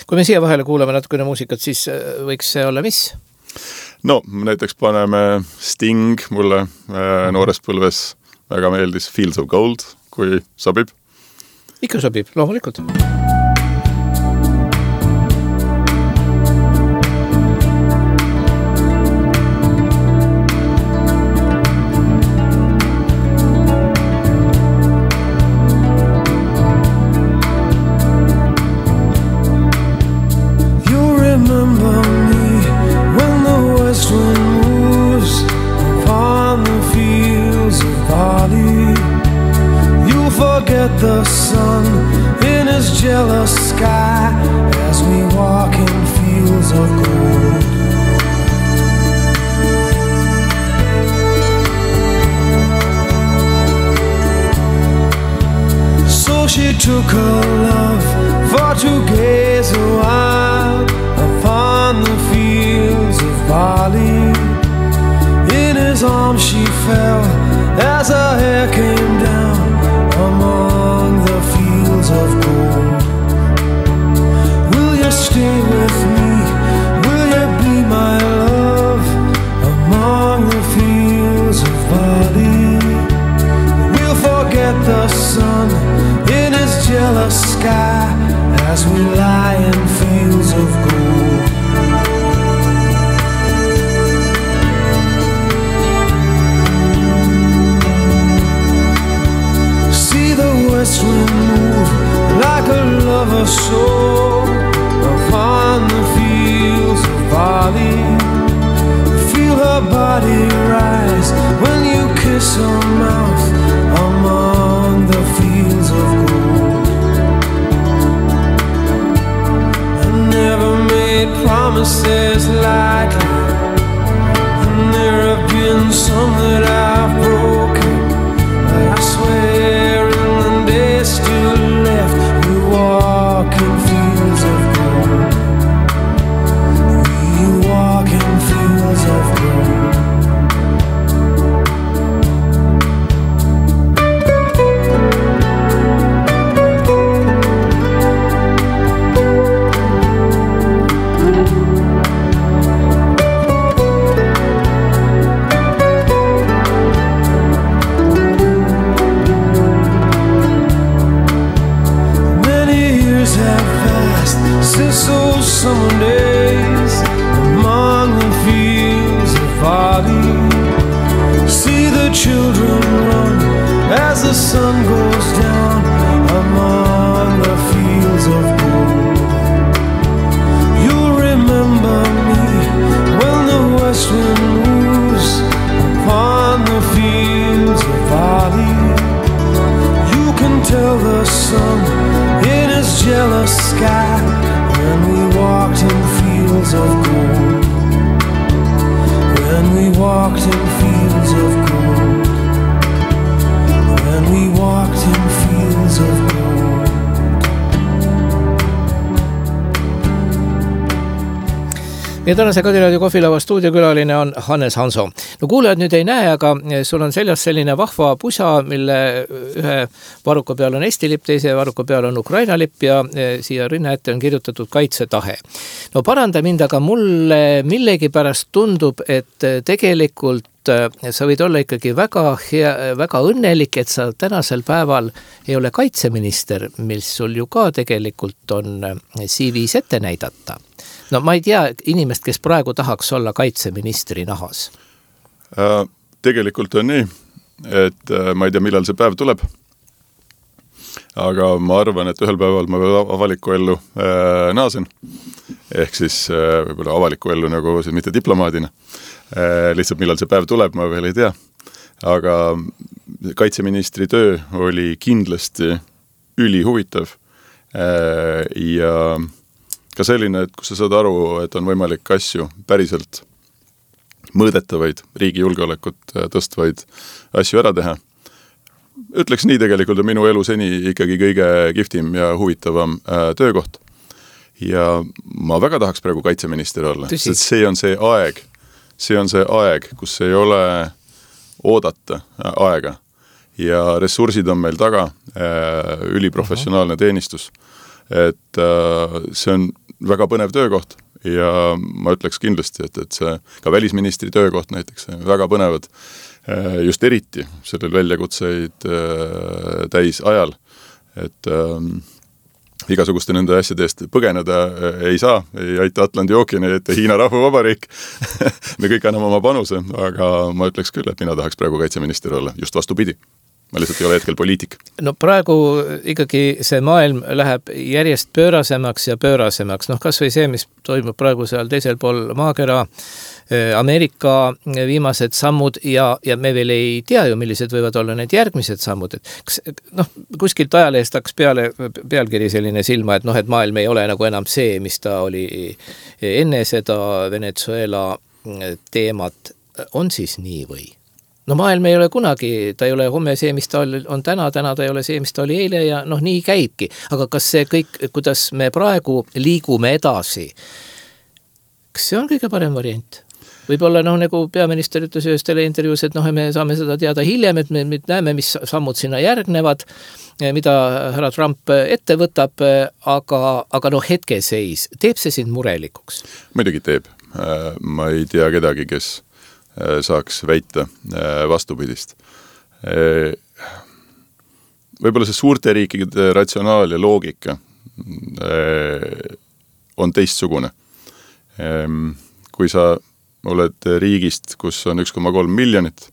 Kui me siia vahele kuulame natukene muusikat, siis võiks see olla mis? No, näiteks paneme Sting, mulle noores põlves väga meeldis Fields of Gold, kui sobib. Ikka sobib, loomulikult. The sun in his jealous sky as we walk in fields of gold. So she took her love for to gaze a while upon the fields of barley. In his arms she fell as her hair came down among the fields of gold. Will you stay with me? Will you be my love among the fields of barley? We'll forget the sun in his jealous sky as we lie in fields of gold. West wind move like a lover's soul upon the fields of barley. Feel her body rise when you kiss her mouth among the fields of gold. I never made promises lightly, and there have been some that I've broken, but I swear still left, we walk in fields of gold. We walk in fields of gold. Since those summer days among the fields of barley, see the children run as the sun goes down among the fields of gold. You'll remember me when the west wind moves upon the fields of barley. You can tell the sun in his jealous sky when we walked in fields of gold. When we walked in fields of gold. When we walked in fields of gold. Ja tänase Kadiraadio kohvilava stuudiokülaline on Hannes Hanso. No kuulajad nüüd ei näe, aga sul on seljas selline vahva pusa, mille ühe varuka peal on Eesti lipp, teise varuka peal on Ukraina lipp ja siia rinna ette on kirjutatud kaitsetahe. No paranda mind, aga mulle millegipärast tundub, et tegelikult sa võid olla ikkagi väga õnnelik, et sa tänasel päeval ei ole kaitseminister, mis sul ju ka tegelikult on CV-s ette näidata. No ma ei tea inimest, kes praegu tahaks olla kaitseministri nahas. Tegelikult on nii, et ma ei tea, millal see päev tuleb. Aga ma arvan, et ühel päeval ma veel avaliku ellu naasen. Ehk siis võib-olla avaliku ellu nagu mitte diplomaadina. Lihtsalt millal see päev tuleb, ma veel ei tea. Aga kaitseministri töö oli kindlasti ülihuvitav ja ka selline, et kus sa saad aru, et on võimalik asju päriselt mõõdetavaid, riigi julgeolekut tõstvaid asju ära teha. Ütleks nii, tegelikult on minu elu seni ikkagi kõige kihvtim ja huvitavam töökoht. Ja ma väga tahaks praegu kaitseminister olla, sest see on see aeg, kus ei ole oodata aega ja ressursid on meil taga, üliprofessionaalne teenistus. Et see on väga põnev töökoht ja ma ütleks kindlasti, et see ka välisministri töökoht näiteks väga põnevad just eriti sellel väljakutseid täis ajal, et igasuguste nende asjade eest põgeneda ei saa, ei aita Atlandi ookeani, et Hiina Rahvavabariik. Me kõik anname oma panuse, aga ma ütleks küll, et mina tahaks praegu kaitseminister olla, just vastupidi. Ma lihtsalt ei ole hetkel poliitik. No praegu ikkagi see maailm läheb järjest pöörasemaks ja pöörasemaks. Kas või see, mis toimub praegu seal teisel pool maakera, Ameerika viimased sammud ja me veel ei tea ju, millised võivad olla need järgmised sammud. Kuskilt ajalehest hakkas pealkiri selline silma, et maailm ei ole nagu enam see, mis ta oli enne seda Venezuela teemat. On siis nii või? Maailm ei ole kunagi, ta ei ole homme see, mis ta on täna ta ei ole see, mis ta oli eile ja nii käibki. Aga kas see kõik, kuidas me praegu liigume edasi, kas see on kõige parem variant? Võib-olla nagu peaminister ütles ühes teleintervjuus, et me saame seda teada hiljem, et me näeme, mis sammud sinna järgnevad, mida härra Trump ette võtab, aga hetkeseis, teeb see sind murelikuks? Muidugi teeb. Ma ei tea kedagi, kes saaks väita vastupidist. Võib-olla see suurte riikide ratsionaal ja loogika on teistsugune. Kui sa oled riigist, kus on 1,3 miljonit,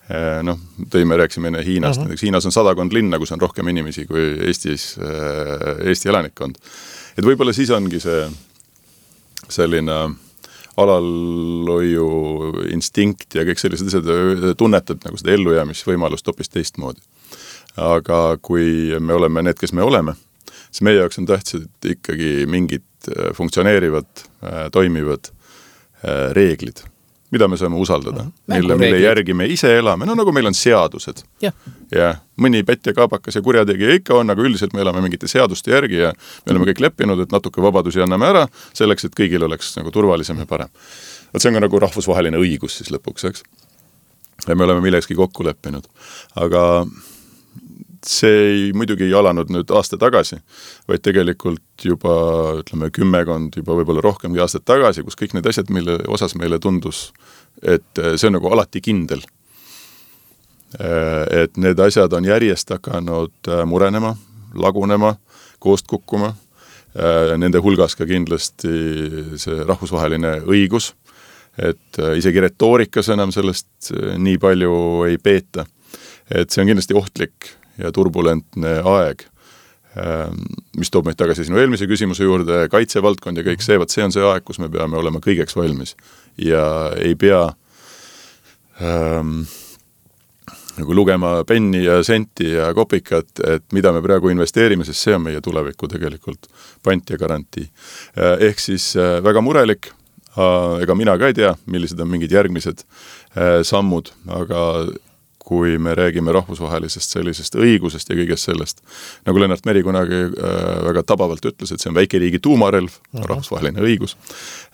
rääksime enne Hiinast, näiteks Hiinas on 100 linna, kus on rohkem inimesi kui Eesti elanikkond. Et võib-olla siis ongi see selline alalhoiu instinkt ja kõik sellised asjad tunnetad nagu seda ellujäämisvõimalust hoopis teistmoodi. Aga kui me oleme need, kes me oleme, siis meie jaoks on tähtsad ikkagi mingid funktsioneerivad, toimivad reeglid, mida me saame usaldada, mille järgi me ise elame, nagu meil on seadused. Ja mõni pätt ja kaabakas ja kurjategija ikka on, aga üldiselt me elame mingite seaduste järgi ja me oleme kõik leppinud, et natuke vabadusi anname ära selleks, et kõigil oleks nagu turvalisem ja parem. See on ka nagu rahvusvaheline õigus siis lõpuks, eks? Ja me oleme millekski kokku leppinud. Aga see muidugi ei alanud nüüd aasta tagasi, vaid tegelikult juba, ütleme, 10 juba võib-olla rohkemgi aastat tagasi, kus kõik need asjad, mille osas meile tundus, et see on nagu alati kindel. Et need asjad on järjest hakanud murenema, lagunema, koost kukkuma. Nende hulgas ka kindlasti see rahvusvaheline õigus, et isegi retoorikas enam sellest nii palju ei peeta. Et see on kindlasti ohtlik ja turbulentne aeg, mis toob meid tagasi sinu eelmise küsimuse juurde, kaitsevaldkond ja kõik see, see on see aeg, kus me peame olema kõigeks valmis ja ei pea nagu lugema penni ja senti ja kopikat, et mida me praegu investeerime, sest see on meie tuleviku tegelikult pant ja garantii. Ehk siis väga murelik, ega mina ka ei tea, millised on mingid järgmised sammud, aga kui me räägime rahvusvahelisest sellisest õigusest ja kõigest sellest, nagu Lennart Meri kunagi väga tabavalt ütles, et see on väikeriigi tuumarelv, rahvusvaheline õigus,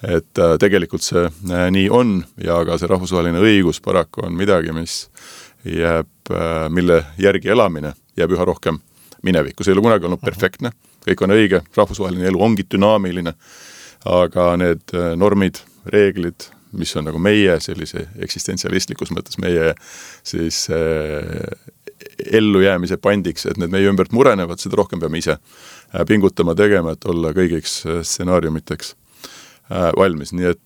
et tegelikult see nii on ja ka see rahvusvaheline õigus paraku on midagi, mis jääb, mille järgi elamine jääb üha rohkem minevikku. See ei ole kunagi olnud perfektne, kõik on õige, rahvusvaheline elu ongi dünaamiline, aga need normid, reeglid, mis on nagu meie sellise eksistentsialistlikus mõttes meie siis ellujäämise pandiks, et need meie ümbert murenevad, seda rohkem peame ise pingutama tegema, et olla kõigiks stsenaariumiteks valmis. Nii et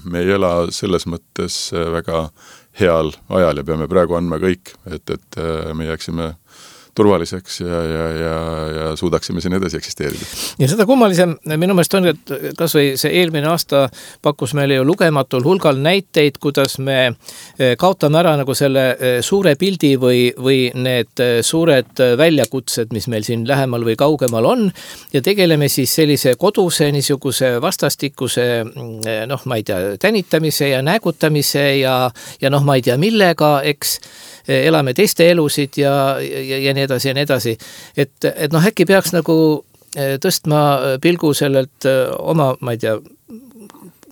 me ei ela selles mõttes väga heal ajal ja peame praegu andma kõik, et me jääksime turvaliseks ja suudaksime siin edasi eksisteerida. Ja seda kummalisem minu meelest on, et kas või see eelmine aasta pakkus meile ju lugematul hulgal näiteid, kuidas me kaotame ära nagu selle suure pildi või need suured väljakutsed, mis meil siin lähemal või kaugemal on ja tegeleme siis sellise koduse niisuguse vastastikuse ma ei tea, tänitamise ja näägutamise ja ma ei tea millega, eks elame teiste elusid ja nii edasi ja nii edasi. Et äkki peaks nagu tõstma pilgu sellelt oma, ma ei tea,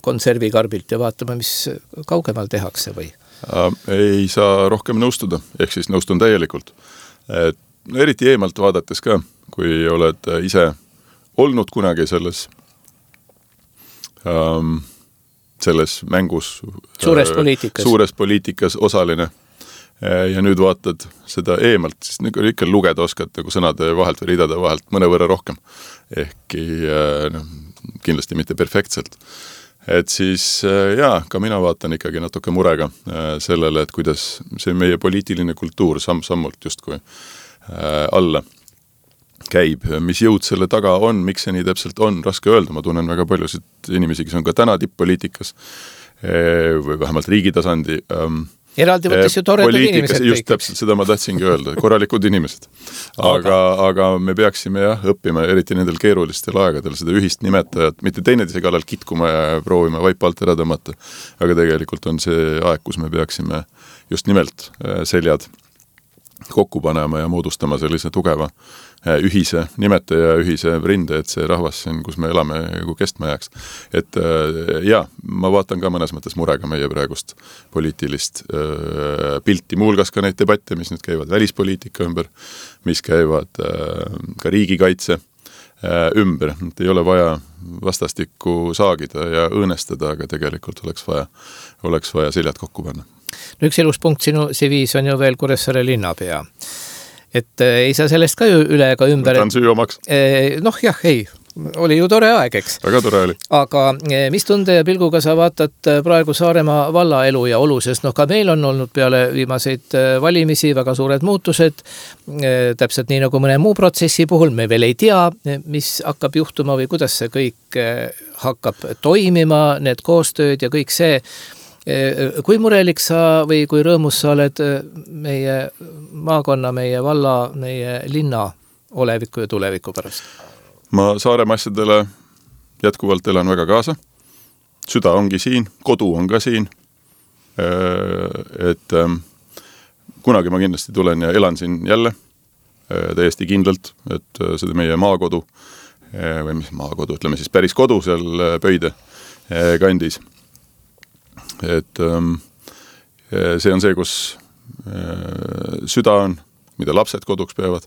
konservikarbilt ja vaatama, mis kaugemal tehakse või? Ei saa rohkem nõustuda, ehk siis nõustun täielikult. Eriti eemalt vaadates ka, kui oled ise olnud kunagi selles mängus suures poliitikas osaline ja nüüd vaatad seda eemalt, siis ikka lugeda oskad nagu sõnade vahelt või ridade vahelt mõnevõrra rohkem. Ehkki kindlasti mitte perfektselt. Et siis ka mina vaatan ikkagi natuke murega sellele, et kuidas see meie poliitiline kultuur samm-sammult justkui alla käib. Mis jõud selle taga on, miks see nii täpselt on, raske öelda. Ma tunnen väga paljusid inimesi, kes on ka täna tipp-poliitikas või vähemalt riigitasandi eraldi võttes ju toredad inimesed. Just täpselt seda ma tahtsingi öelda, korralikud inimesed. Aga me peaksime õppima, eriti nendel keerulistel aegadel, seda ühist nimetajat, mitte teineteise kallal kitkuma ja proovima vaipa alt ära tõmmata. Aga tegelikult on see aeg, kus me peaksime just nimelt seljad kokku panema ja moodustama sellise tugeva ühise nimetaja, ühise rinde, et see rahvas siin, kus me elame, kestma jääks. Et ma vaatan ka mõnes mõttes murega meie praegust poliitilist pilti, muulgas ka neid debatte, mis nüüd käivad välispoliitika ümber, mis käivad ka riigikaitse ümber. Et ei ole vaja vastastikku saagida ja õõnestada, aga tegelikult oleks vaja seljad kokku panna. Üks ilus punkt sinu CV-s on ju veel Kuressaare linnapea. Et ei saa sellest ka ju üle ega ümber. Võtan süü omaks. Oli ju tore aeg, eks. Väga tore oli. Aga mis tunde ja pilguga sa vaatad praegu Saaremaa valla elu ja olu, sest ka meil on olnud peale viimaseid valimisi väga suured muutused, täpselt nii nagu mõne muu protsessi puhul, me veel ei tea, mis hakkab juhtuma või kuidas see kõik hakkab toimima, need koostööd ja kõik see. Kui murelik sa või kui rõõmus sa oled meie maakonna, meie valla, meie linna oleviku ja tuleviku pärast? Ma Saaremaa asjadele jätkuvalt elan väga kaasa. Süda ongi siin, kodu on ka siin. Et kunagi ma kindlasti tulen ja elan siin jälle täiesti kindlalt, et seda meie maakodu või mis maakodu, ütleme siis päris kodu seal Pöide kandis. Et see on see, kus süda on, mida lapsed koduks peavad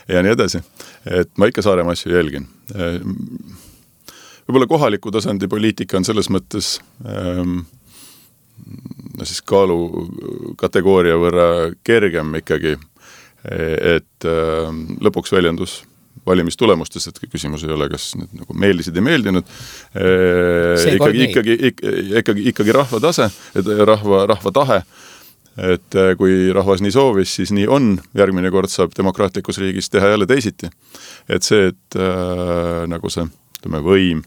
ja nii edasi. Et ma ikka Saaremaa asju jälgin. Võib-olla kohaliku tasandi poliitika on selles mõttes siis kaalu kategooria võrra kergem ikkagi, et lõpuks väljendus valimistulemustes, et küsimus ei ole, kas need nagu meeldisid ja meeldinud. Ikkagi rahva tase, rahva tahe, et kui rahvas nii soovis, siis nii on. Järgmine kord saab demokraatlikus riigis teha jälle teisiti. Et see, et nagu see võim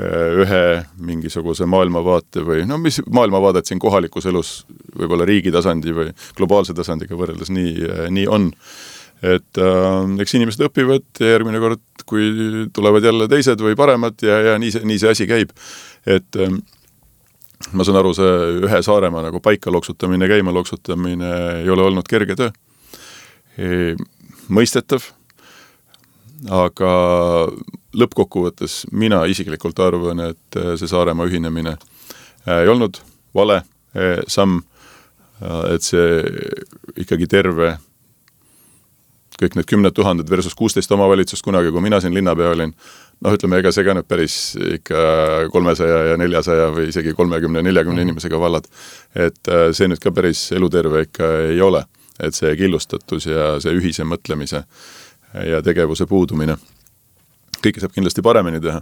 ühe mingisuguse maailmavaate või mis maailmavaadet siin kohalikus elus võib-olla riigi tasandi või globaalse tasandiga võrreldes nii on. Et eks inimesed õpivad ja järgmine kord, kui tulevad jälle teised või paremad ja nii see asi käib. Et ma saan aru, see ühe Saaremaa nagu paika loksutamine, käima loksutamine ei ole olnud kerge töö. Mõistetav, aga lõppkokkuvõttes mina isiklikult arvan, et see Saaremaa ühinemine ei olnud vale samm, et see ikkagi terve kõik need 10 000 versus 16 omavalitsust kunagi, kui mina siin linnapea olin, ütleme, ega see ka nüüd päris ikka 300 ja 400 või isegi 30-40 inimesega vallad. Et see nüüd ka päris eluterve ikka ei ole. Et see killustatus ja see ühise mõtlemise ja tegevuse puudumine. Kõike saab kindlasti paremini teha.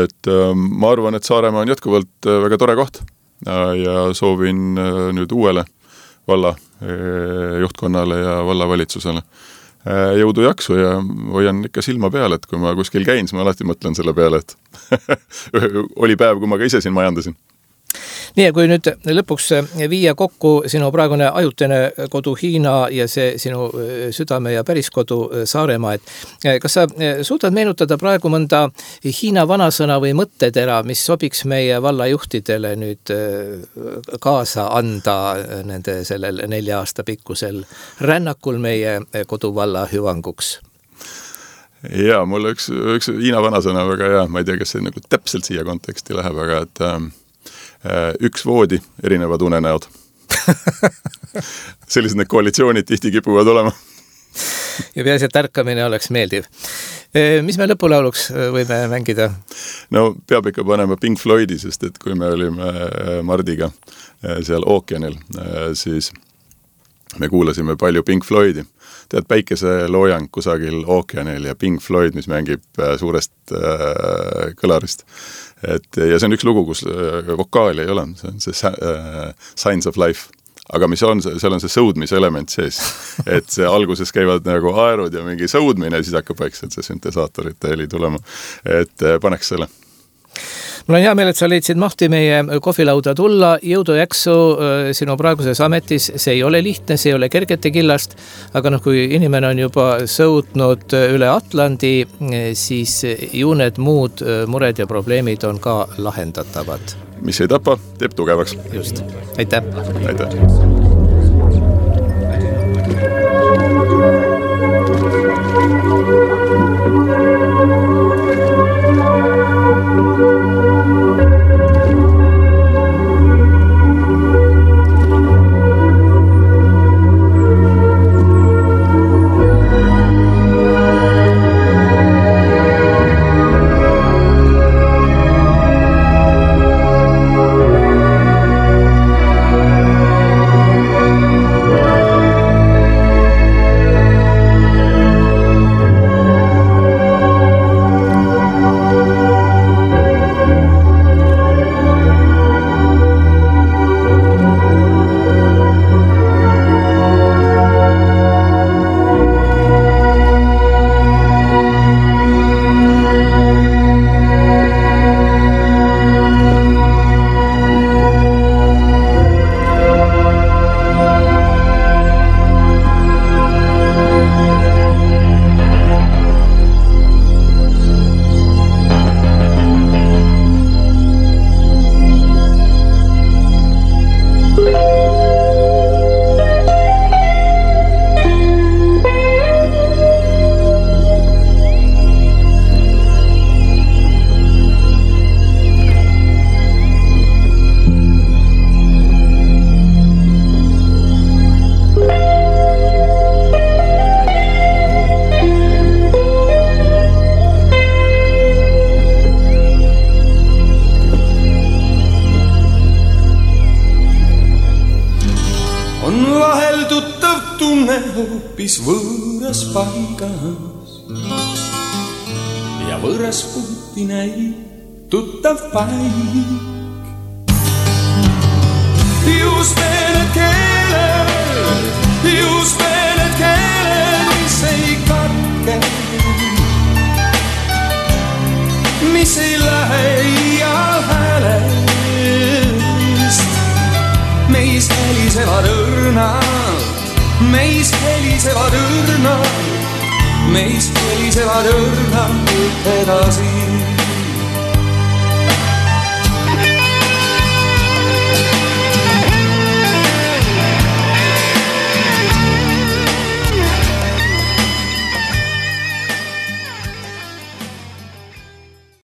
Et ma arvan, et Saaremaa on jätkuvalt väga tore koht ja soovin nüüd uuele valla juhtkonnale ja vallavalitsusele jõudu jaksu ja hoian ikka silma peal, et kui ma kuskil käin, siis ma alati mõtlen selle peale, et oli päev, kui ma ka ise siin majandasin. Nii, ja kui nüüd lõpuks viia kokku sinu praegune ajutine kodu Hiina ja see sinu südame ja päris kodu Saaremaa, et kas sa suudad meenutada praegu mõnda Hiina vanasõna või mõttetera, mis sobiks meie vallajuhtidele nüüd kaasa anda nende sellel 4 aasta pikkusel rännakul meie koduvalla hüvanguks? Jaa, mul üks Hiina vanasõna väga hea, ma ei tea, kas see nagu täpselt siia konteksti läheb, aga et üks voodi, erinevad unenäod. Sellised need koalitsioonid tihti kipuvad olema. Ja peaasi, et tärkamine oleks meeldiv. Mis me lõpulauluks võime mängida? No peab ikka panema Pink Floydi, sest et kui me olime Mardiga seal ookeanil, siis me kuulasime palju Pink Floydi. Tead, päikeseloojang kusagil ookeanil ja Pink Floyd, mis mängib suurest kõlarist. Ja see on üks lugu, kus vokaali ei ole, see on see Signs of Life. Aga mis on, seal on see sõudmise element sees, et see alguses käivad nagu aerud ja mingi sõudmine ja siis hakkab vaikselt see süntesaatorite heli tulema, et paneks selle. Mul on hea meel, et sa leidsid mahti meie kohvilauda tulla. Jõudu jaksu sinu praeguses ametis. See ei ole lihtne, see ei ole kergete killast, aga kui inimene on juba sõudnud üle Atlandi, siis ju need muud mured ja probleemid on ka lahendatavad. Mis ei tapa, teeb tugevaks. Just. Aitäh. Aitäh. Võõras paigas ja võõras puhti näib tuttav paik. Just need keeled, mis ei katke, mis ei lähe iial häälest. Meis helisevad õrnad, meis helisevad õrnad edasi.